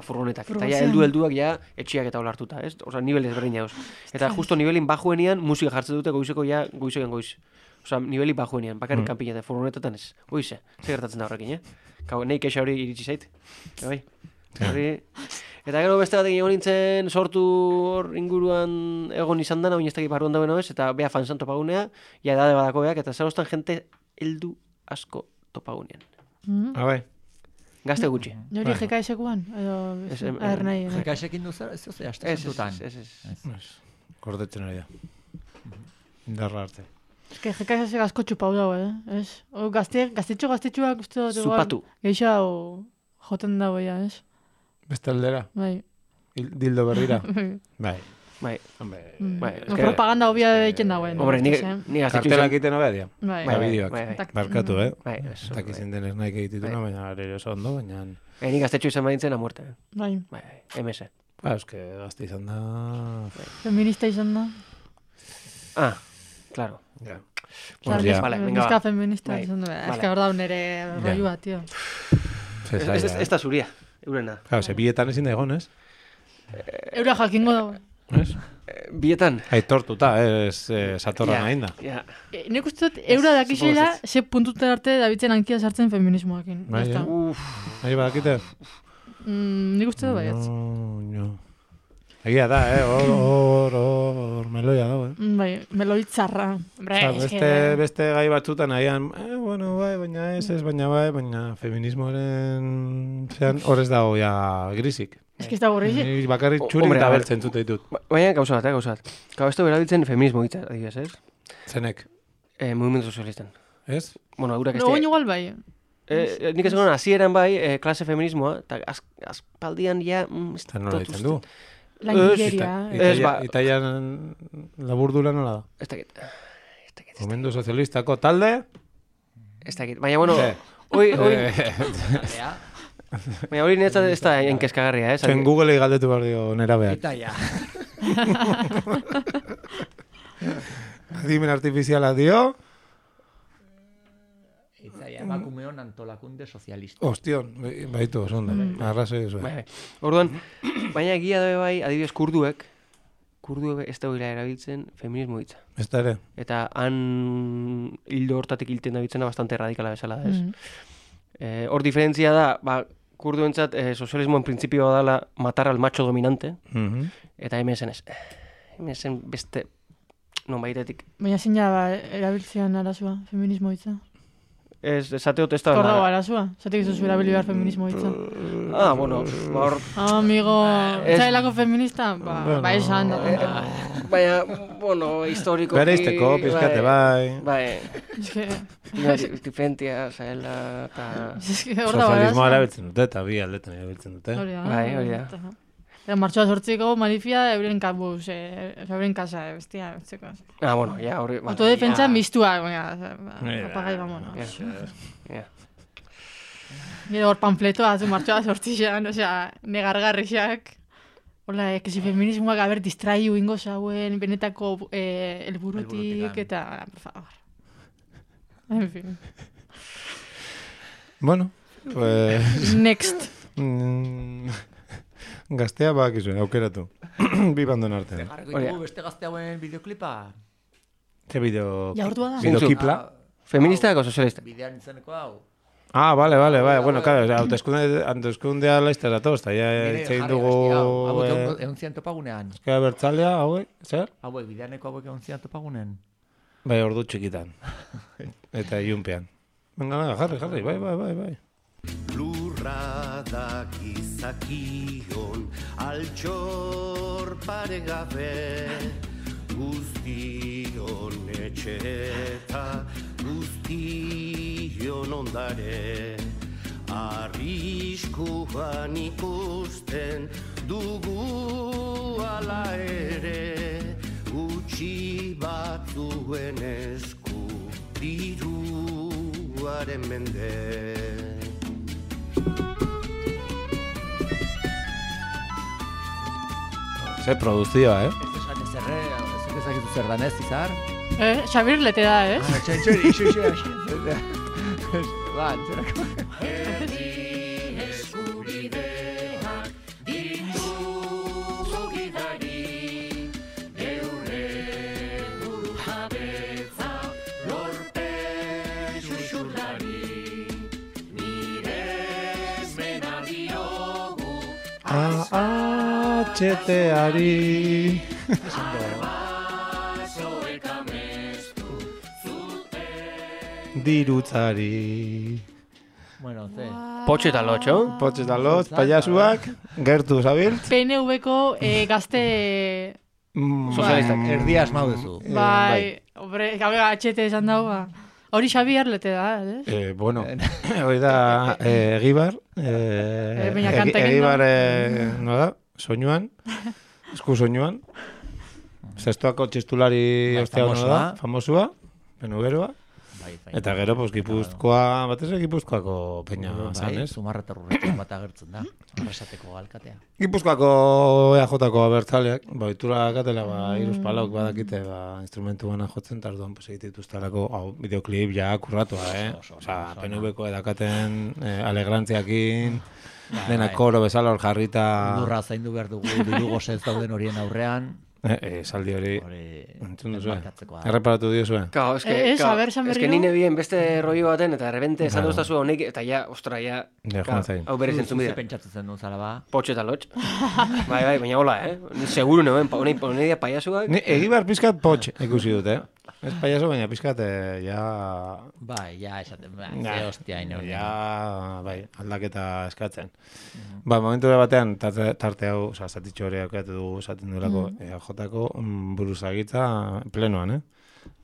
furgonetak. Eta ja, helduak ja, etxiak eta olartuta, ez? Osa, nivel ezberdin jauz. Eta justo nivelin bajuenian, musika jartzen dute goizeko ja, goizean goiz. Osa, nivelin bajuenian, bakarrik kanpinetan, furgonetetan ez. Goize, ze gertatzen da horrekin, Nei keixa hori iritsi zait. Bai. Eta gero beste batekin egon nintzen, sortu hor inguruan egon izan dana, oineztak iparruan dauen ez, eta bea fansan topagunea, ja edade badako beak, eta zarostan jente heldu asko topagunean. Bai. Gazte gutxi. Nori GKS-ekuan? GKS-ekin duzer, ez zuzea, astezentutan. Ez. Kordetzen ari da. Indarra arte. Ez que GKS gazko txupau dago, ez? Gaztetxoak uste dut. Zupatu. Geixa joten dago, ez? Beste aldera? Bai. Dildo berrira? Bai. Propaganda obia egiten dagoen. Hombre, ni gaztetxo kartelak egiten obea dia. Bai. Bideoak. Barkatu, Bai. Takizin denez nahi egitituna, baina ere oso ondo, baina... Ni gaztetxo izan badintzen a muerte. Bai. MS. Euske gazte izan da... Feminista izan da. Ah, claro. Ja. Neska feminista izan da. Ez que hor da unere rollua, tío. Ez da zuria, eurena. Claro, ze bietan ezin da egon, ez? Eura jakingo dago. Ez? Bietan. Aitortuta, ez satorra nahi da. Nik uste dut, eura dakizela, ze puntuten arte dabitzen hankia sartzen feminismoakin. Bai, nahi badakite? Nik uste dut baiatz. No. Egia da, hor meloia dago, Bai, meloitzarra. Beste gai batzutan nahian, bueno, bai, baina feminismoaren zean horrez dago ja grisik. Ez que ez dago grisik. Bakarrik txurik da bertzen zute ditut. Baina gauza bat. Gau ez dugu erabiltzen feminismo hitza, adibidez, ez? Zenek? Movimiento sozialisten. Ez? Bueno, eurak no, igual bai. Nik ez egon, hasieran bai, klase feminismoa, eta aspaldian ja... Eta nola ditzen du? Langileria. Itaian laburdura nola da? Ez dakit. Momentu sozialistako talde? Ez dakit. Baina, bueno, hoi... Baina hori niretzat ez da enkezkagarria, Zen Google-ei galdetu behar dio nera behar. Itaia. Adimen artifiziala dio... Itaia, emakumeon antolakunde sozialista. Ostion, baitu, oso ondo. Arrazoi zuen. Orduan, baina egia dabe bai, adibidez kurduek ez dagoela erabiltzen feminismo hitza. Ez da ere. Eta han hildo hortatik hilten dabitzena bastante radikala bezala da, ez? Hor diferentzia da, kurduentzat sozialismoen printzipioa dela matar al macho dominante, eta MSN ez. MSN beste non baitetik. Baina zein erabiltzean arazua, feminismo hitza? Esateot ez da... Kordago arazua? Zatek izuzu erabili behar feminismo hitza? Bueno, hor... Amigo, etxailako feminista? Ba, esan. Baina, bueno, historiko... Bereizteko, pizkate, bai. Bai. Ez que... Diferentia, zaila, eta... Sozialismoa erabiltzen dute, eta bi aldetan erabiltzen dute. Hori da. Martxoa sortziko manifia euren kabuz, euren kasa, bestia, bestzeko. Bueno, ja, hori... Autodefentsa mistua, apagai, vamonos. Gero hor panfletoa, martxoa sortzizan, negargarrixak. Hola, que feminismoak haber distraiu ingo zauen, benetako helburutik, eta, por favor. En fin. Bueno, pues... Next. Gaztea bakizuen, aukeratu. Bi bandon artean. Beste gazte hauen bideoklipa? Ze bideo... Jaurtua da? Bideokipla? Feministak o sozialista? Bidean izaneko hau. Vale. Bueno, claro, hauteskundea laiztera toz, eta ja etxein dugu... Egon zian topagunean. Euskara bertzalea, hauek, zer? Hauek, bideaneko hauek egon zian topagunean. Bai, ordu txikitan. Eta ilunpean. Venga, jarri, bai. Lurra da gizakion altxor paregabe, guztion etxe eta guztion ondare, arriskuan ikusten dugu ala ere, gutxi batzuen esku diruaren mende. Ze produzioa, Ez ezakizu zer danez, izar? Xabir lete da, ez? Txantxori, iso. Ba, antzerako. eskubideak ditugu gidari, geure buru jabetza lorpen xuxurlari, nire ezmena diogu AHT-ari. arbasoek amestu zuten. Dirutzari. Bueno, ze. Potxe eta lotxo. Potxe eta lot, paiasuak, gertu zabilt. PNV-ko gazte... Sozialistak. Erdia asmau duzu. Bai, hombre, gabe HT esan dago, ba. Hori Xabier lete da, eh? Bueno, hori da Egibar. Baina kanta egin Egibar, no da, soinuan, esku soinuan. Zestoako txistulari ostea no da, famosua, penugeroa. Bai. Eta gero, pues, Gipuzkoa, batez Gipuzkoako peina zan, ez? Zumarreta rurretan bat agertzen da. Arrasateko alkatea. Gipuzkoako EAJ-ko abertzaleak, itura katela, iruz palauk badakite, instrumentu bana jotzen, eta orduan, pues, egitituztarako, videoklip ja kurratua, Osa, PNV-ko edakaten alegrantziakin, dena koro bezala hor jarrita... Lurra zaindu behar dugu, dirugoz ez dauden horien aurrean. Saldi hori entzun duzu, erreparatu diozue. Claro, eske nine bien beste rollo baten, eta errebente esan duztazu honek, eta ja, ostra, ja, hau berez entzun bidea. Pentsatzen zen duen zala ba. Potxe eta lotx. Bai, baina hola, Ni seguru neuen, honedia paiasuak. Egibar pizkat potx ikusi dut, Ez paiaso, baina pizkat, ja... Bai, ja, esaten, ze hostia ino. Ja, bai, aldaketa eskatzen. Momentu batean, tarte hau, zatitxo hori aukatu dugu, esaten duelako, jotako buruzagitza plenoan,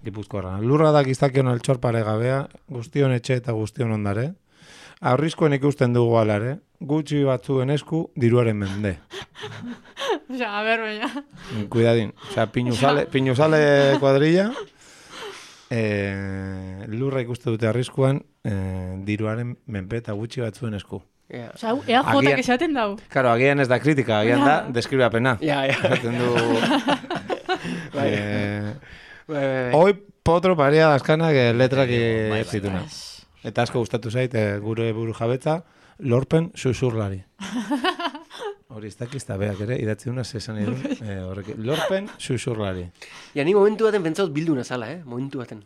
Gipuzkoarra. Lurra da giztakion altxor paregabea, guztion etxe eta guztion ondare. Aurrizkoen ikusten dugu alare, gutxi batzuen esku, diruaren mende. Osa, a ber, baina. Cuidadin. Osa, Piñusale kuadrilla, lurra ikuste dute arriskuan, diruaren menpe eta gutxi batzuen esku. Osa, EAJak esaten dau. Karo, agian ez da kritika, agian da deskribapena. Esaten du... Hoi potro paria dazkanak letrak zituna. Eta asko gustatu zait, gure buru jabetza, lorpen susurlari. Hori ez dakizta beak ere, idatzi duna zesan edun. Lorpen susurlari. Ja, ni momentu baten pentsaut bilduna zala, Momentu baten.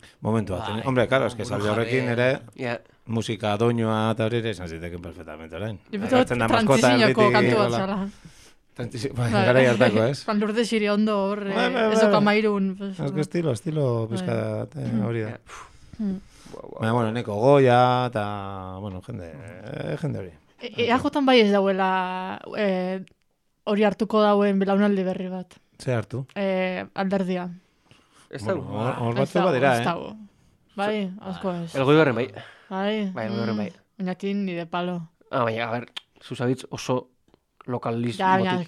Hombre, karo, eske salde horrekin ere, musika doinoa eta hori ere esan ziteken perfectamente orain. Transizinoko kantu bat zala. Gara hartako, ez? Lourdes Iriondo hor, ez oka mairun. Estilo pizkat hori da. Baina, bueno, neko goia eta, bueno, jende hori. EAJan bai ez dauela hori hartuko dauen belaunaldi berri bat. Ze hartu? Alderdia. Ez dago. Hor batzu badera, Bai, asko ez. Elgoibarren bai. Bai, elgoibarren bai. Bainakin ni de palo. Baina, a ber, zuzabitz oso lokalismo. Baina,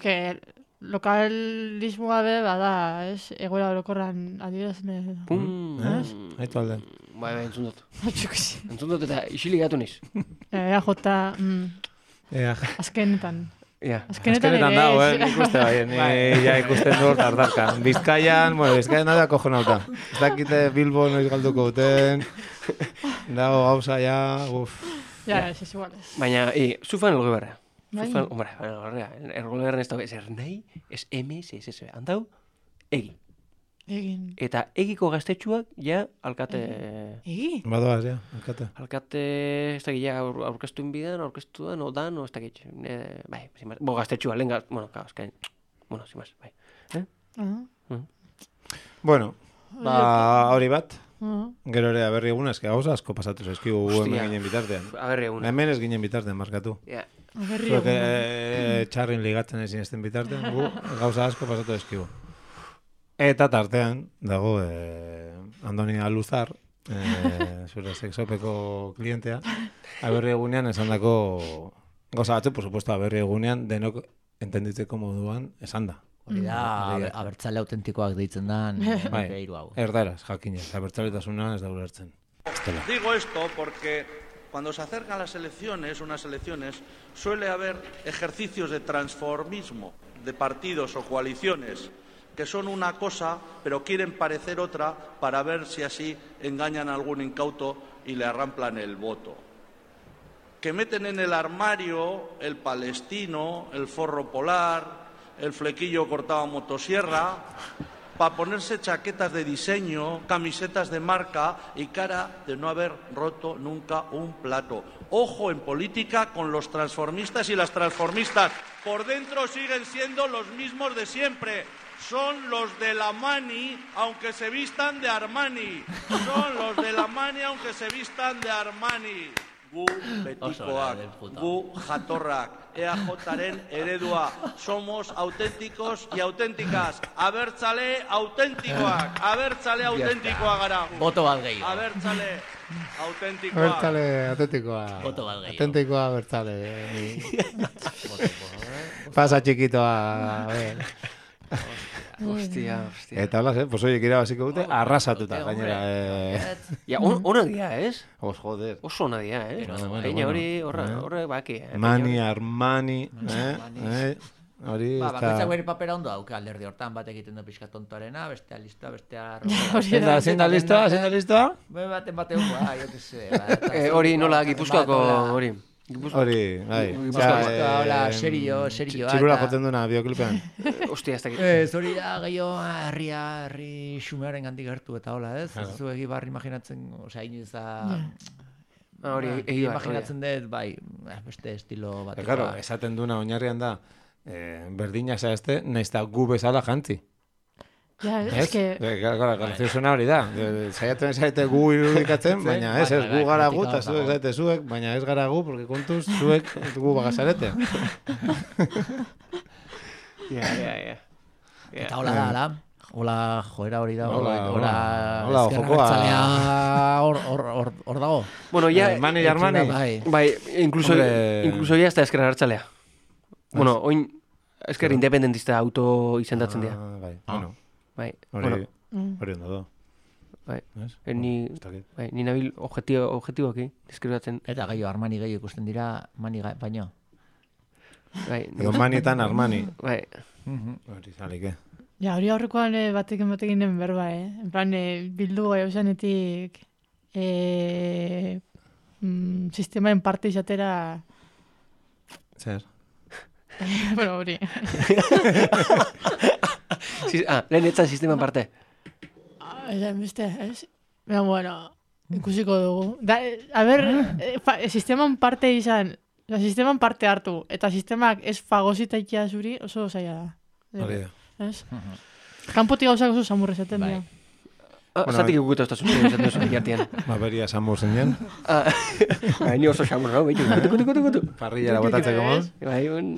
lokalismoa be, bada, ez? Egoera orokorran adierazne. Haitu alde. Bai, entzun dut. Entzun dut eta isilik gatu niz. EAJ, azkenetan. Azkenetan dago, nik uste bai, ni ikusten dut ardarka. Bizkaian da kojonauta. Ez dakite Bilbo noiz galduko duten, dago gauza ja, Ja, ez igual ez. Baina, zufan elgoibarra. Hombre, elgoibarren ez dago, ez ernei, ez MS, ez handau, egi. Egin. Eta egiko gaztetxuak, ja, alkate... Egi? Badoaz, ja, alkate. Alkate, ez dakit, ja, aurkeztuen bidan, aurkeztuan, odan, ez dakit. Bai, zimaz. Gaztetxua, lehen bueno, azkain, zimaz, bai. Bueno, hori bat. Gero ere, aberri eguna, eske gauza asko pasatu zaizkigu hemen ginen bitartean. Aberri eguna. Hemen ez ginen bitartean, markatu. Aberri eguna. Txarrin ligatzen ezin esten bitartean, gauza asko pasatu zaizkigu. Eta tartean, dago, Andoni Aluzar, zure sexopeko klientea, aberri egunean esan dako, goza batzu, por supuesto, aberri egunean denok entenditzeko moduan esan da. Hori da, abertzale autentikoak deitzen da, hiru hau. Erdaraz, jakinez, abertzaletasuna ez da ulertzen. Digo esto porque cuando se acercan las elecciones, unas elecciones, suele haber ejercicios de transformismo de partidos o coaliciones que son una cosa, pero quieren parecer otra para ver si así engañan a algún incauto y le arramplan el voto. que meten en el armario el palestino, el forro polar, el flequillo cortado a motosierra, para ponerse chaquetas de diseño, camisetas de marca y cara de no haber roto nunca un plato. Ojo en política con los transformistas y las transformistas. Por dentro siguen siendo los mismos de siempre. Son los de la Mani, aunque se vistan de Armani. Son los de la Mani, aunque se vistan de Armani. Gu betikoak, gu jatorrak, EAJaren eredua. Somos auténticos y auténticas. Abertzale auténtikoak, abertzale auténtikoa gara. Boto bat gehiago. Abertzale auténtikoa. Abertzale auténtikoa. Boto bat gehiago. Auténtikoa abertzale. Pasa chiquitoa. A ver. Hostia. Eta hola, pues oye, kira basiko dute, arrasatuta, gainera. Ja, ona dia, ez? Joder. Oso ona dia, ez? Baina hori horre baki. Mani, Armani, hori... Bakoitzak bere papera ondo dauka alderdi hortan, bat egiten du pixka tontoarena, bestea listoa, bestea... Zein da listoa? Baten jo que se... Hori nola Gipuzkoako hori. Hori, bai. Hola, serioa. Txirula joten duena, bioklipean. Ostia, ez dakit. Hori da, gehiago, herri xumearen gandik gertu eta hola, ez? Zu egibar imaginatzen, osea, inoiz da... Hori, egibar. Imaginatzen dut, bai, beste estilo bat. Claro, esaten duena oinarrian da, berdina zaizte, nahiz da gu bezala jantzi. Ja, es que... Graziosuena hori da. Zaiatzen zaite gu irudikatzen, baina ez gu gara gu, eta zuek zaite zuek, baina ez gara gu, porque kontuz zuek gu bagazarete. Ja. Eta hola da, ala. Hola, joera hori da. Hola, jokoa. Hor dago. Bueno, ya... Mani y Armani. Bai, incluso ya hasta ezker hartzalea. Bueno, oin ezker independentista auto izendatzen dira. Bai, bueno. Bai, hori ondo do. Bai, ni nabil objetiboki deskribatzen. Eta gehiago Armani gehiago ikusten dira, Mani baino. Bai. Edo Manietan Armani. Bai. Hori zalike. Ja, hori aurrekoan batekin den berba, En plan, bildu gai osanetik sistemaen parte izatera... Zer? Bueno, hori. Lehen etzan sisteman parte. Beste, ez? Bueno, ikusiko dugu. A ber, sisteman parte izan, sisteman parte hartu, eta sistemak ez fagosita ikia zuri, oso zaila da. Hori da. Ez? Kanpotik gauzak oso samurre zaten dira. Zatik ikutu ez da zuzien esaten zuen jartian. Beria samur zenean. Ni oso samur, no? Kutu. Parrillara botatzeko moz.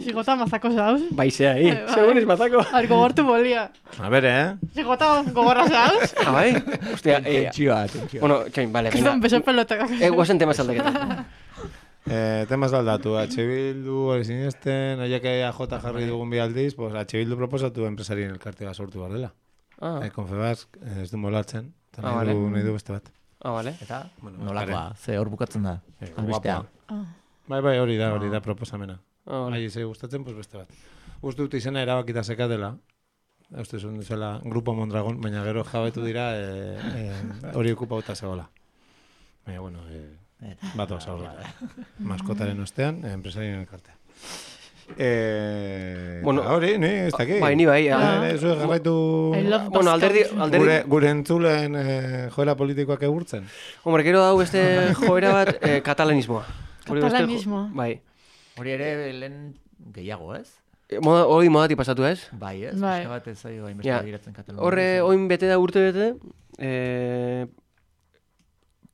Zigota mazako zauz. Baizea, segun ez mazako. Gogortu bolia. A ber, Zigota gogorra zauz. Bai? Ostia, Txioa. Bueno, txain, vale. Kizan beso pelotak. Guazen temas aldaketan. Temas aldatu, H. Bildu hori sinesten, aiak AJ jarri dugun bi aldiz, pues H. Bildu proposatu enpresarien elkartea sortu behar dela. Confebask ez du molatzen, eta nahi du beste bat. Vale. Eta, nolakoa, ze hor bukatzen da, albistea. Bai, hori da proposamena. Ahi zei gustatzen, pues beste bat. Uste dut izena erabakita seka dela, uste zuen duzela Grupo Mondragon, baina gero jabetu dira hori okupauta zegoela. Baina, bueno, bat osa horreta. Maskotaren ostean, enpresarien elkartea. Bueno, hori, ez dakit. Bai, ni bai. Eso garraitu... Bueno, alderdi... Gure entzulen joera politikoak egurtzen. Hombre, gero hau beste joera bat katalanismoa. Katalanismoa. Bai. Hori ere lehen gehiago, ez? Hori modati pasatu, ez? Bai, ez? Pixka bat ez zaio hainbeste begiratzen Katalunian. Horre, oin bete da urte bete,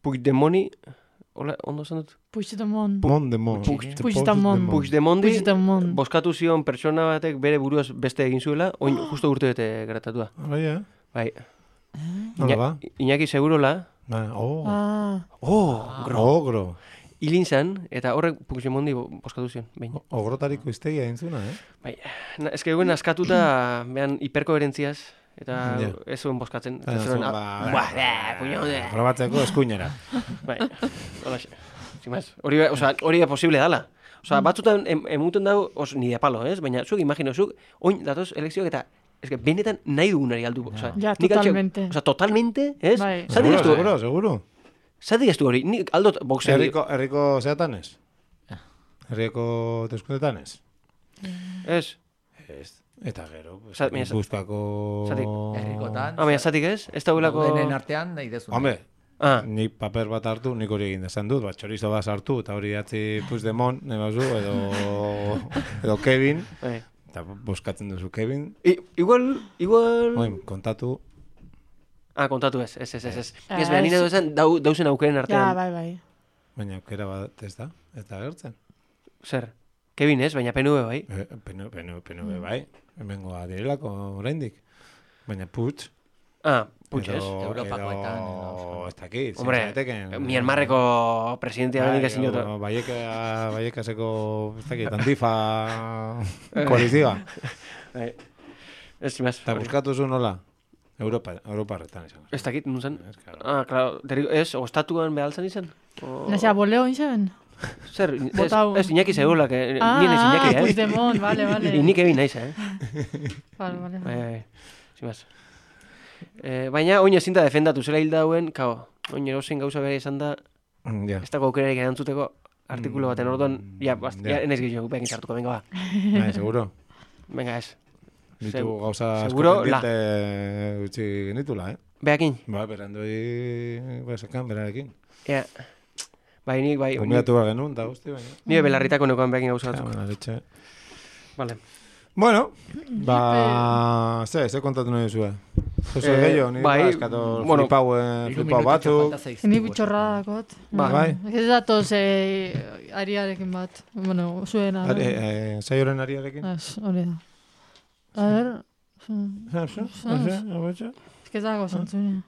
Puigdemoni... Hola, ondo esan dut? Puigdemondi boskatu zion pertsona batek bere buruaz beste egin zuela, oin justo urte bete geratatua. Bai. Nola ba? Iñaki Segurola. Ogro. Hilin zan, eta horrek Puigdemondi boskatu zion. Ogrotariko iztegia entzuna, Bai. Ez que eguen askatuta, behan hiperkoherentziaz, eta ez zuen boskatzen. Probatzeko eskuinera. Bai, hola xe. Hori posible dala. Batzutan emuten dago, ni de palo, ez? Baina zuek imagino, zuek oin datoz elekzioak eta benetan nahi dugunari aldu. Ja, totalmente. Totalmente, ez? Seguro. Zatik ez du hori, nik aldot boxeo. Herriko zeatan ez? Herrieko deskundetan ez? Ez? Ez. Eta gero, Gipuzkoako... Herrikotan. Baina, zatik ez? Ez da hulako... Denen artean nahi dezun. Hombre, nik paper bat hartu, nik hori egin desan dut, txorizo bat hartu, eta hori atzi Puigdemont, nebazu, edo Kevin, eta boskatzen duzu Kevin. Igual... Oin, kontatu. Kontatu ez. Ez behar nire duzan dauzen aukeren artean. Ja, bai. Baina aukera bat ez da gertzen. Zer? Kevin ez, baina PNV bai. PNV bai. Hemengoa direlako oraindik. Baina Puig. Puig ez. Europakoetan. Ez dakit. Hombre, Myanmarreko presidentia benik ezin jotu. Baiekaseko, ez dakit, Antifa koalizioa. Ez zimaz. Eta buskatu zu nola? Europa retan izan. Ez dakit, nun zen? Claro, ez, ostatuan behaltzen izan? Nazia, boleo izan? Zer, ez Iñaki segula, que nien ez Iñaki, Puigdemont, vale. Inik egin naiz, Vale. Zimaz. Baina, oin ezinta defendatu zela hilda hauen, oin erosin gauza behar izan da, ez dago aukerarik erantzuteko artikulo baten orduan, enaiz gehiago, behin sartuko, venga, ba. Seguro? Venga, ez. Ditu gauza asko pendiente utzi genitula, Beakin? Ba, berandoi sekan, berarekin. Ja. Bai, nik, bai. Kombinatu behar genuen, da guzti, baina. Nire belarritako nekoan beakin gauza batzuk. Vale. Bueno, ze kontatu nahi duzue? Jose gehiago, nire eskator flipau batzuk. Ni bitxorra dakot. Bai. Ez datoz ariarekin bat. Bueno, zuena. Zaioren ariarekin? Hori da. A ver... Ez que dago zantzune.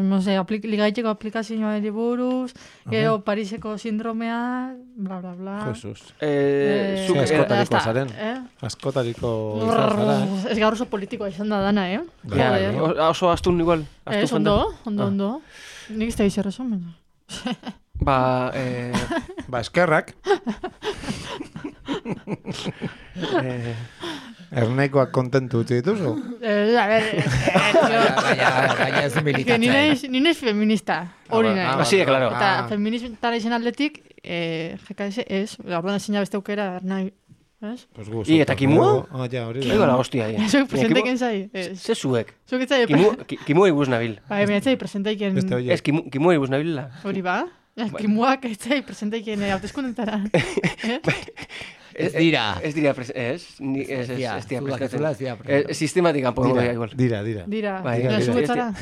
No sé, ligaiteko aplikazioa buruz, gero Pariseko sindromea, bla, bla, bla. Jesus. Askotariko zaren. Askotariko zara, Ez gaur oso politikoa izan da dana, Oso astun igual. Ez, ondo. Nik ez da izan resumen. Eskerrak. Erneikoak kontentu utzi dituzu? A ver, baina ez militatzen. Ni naiz feminista, hori nahi. Sí, claro. Eta feministara izan atletik, GKS ez, orduan ezin beste aukera nahi. Eta kimua? Ja, hori da. Ego la hostia, Zuek presenteiken zai. Ze zuek? Zuek etzai... Kimua ibuz nabil. Bai, baina etzai presenteiken... Ez, kimua ibuz nabil. Hori ba? Kimuak etzai presenteiken hauteskundetara. Ez dira. Ez dira prestatzen. Sistematikan pongo igual. Dira. Dira. Zuetzara.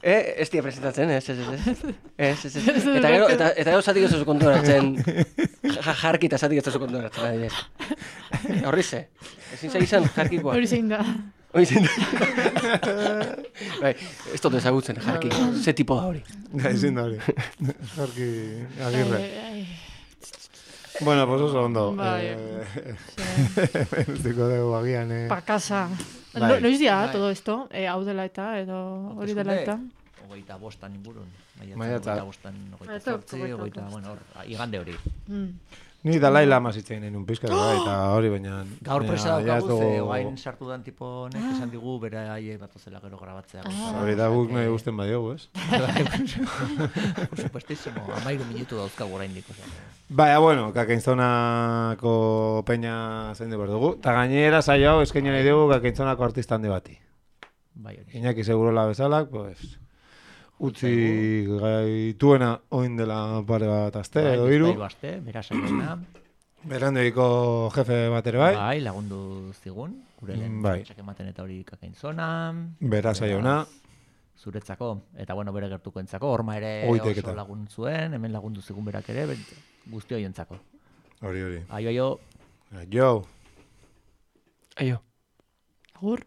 Ez dira presentatzen, ez. Eta gero zatik ez oso kontuaratzen. Jarki eta zatik ez oso kontuaratzen. Horri ze. Ezin zaizan jarkikoa. Hori zein da. Bai, ez dut ezagutzen jarki. Ze tipo da hori. Ezin da hori. Jarki agirre. Bueno, pues oso ondo. Estiko dugu agian. Pa casa. Noiz dia todo esto? Hau dela eta, edo hori dela eta? 25 ingurun. Maiatza. 25, bueno, igande hori. Ni Dalai Lama zitzen un pizka eta hori baina gaur presa daukagu oain sartu dan tipo honek esan digu bere haiek datozela gero grabatzea. Hori da guk nahi gusten badiogu, ez? Por supuestísimo, 13 minutu dauzkagu oraindik, Baina, bueno, Kakainzonako peña zein behar dugu. Ta gainera saio hau eskaini nahi dugu Kakainzonako artista handi bati. Bai, hori. Iñaki Segurola bezalak, pues utzi gaituena oin dela pare bat aste edo hiru. Bai, aste, bera saiona. Berandoiko jefe bat ere bai. Bai, lagundu zigun, gure lehen ematen eta hori Kakainzona. Bera saiona. Zuretzako, eta bueno, bere gertukoentzako, horma ere oso lagun zuen, hemen lagundu zigun berak ere, guzti hoientzako. Hori. Aio. Aio. Agur.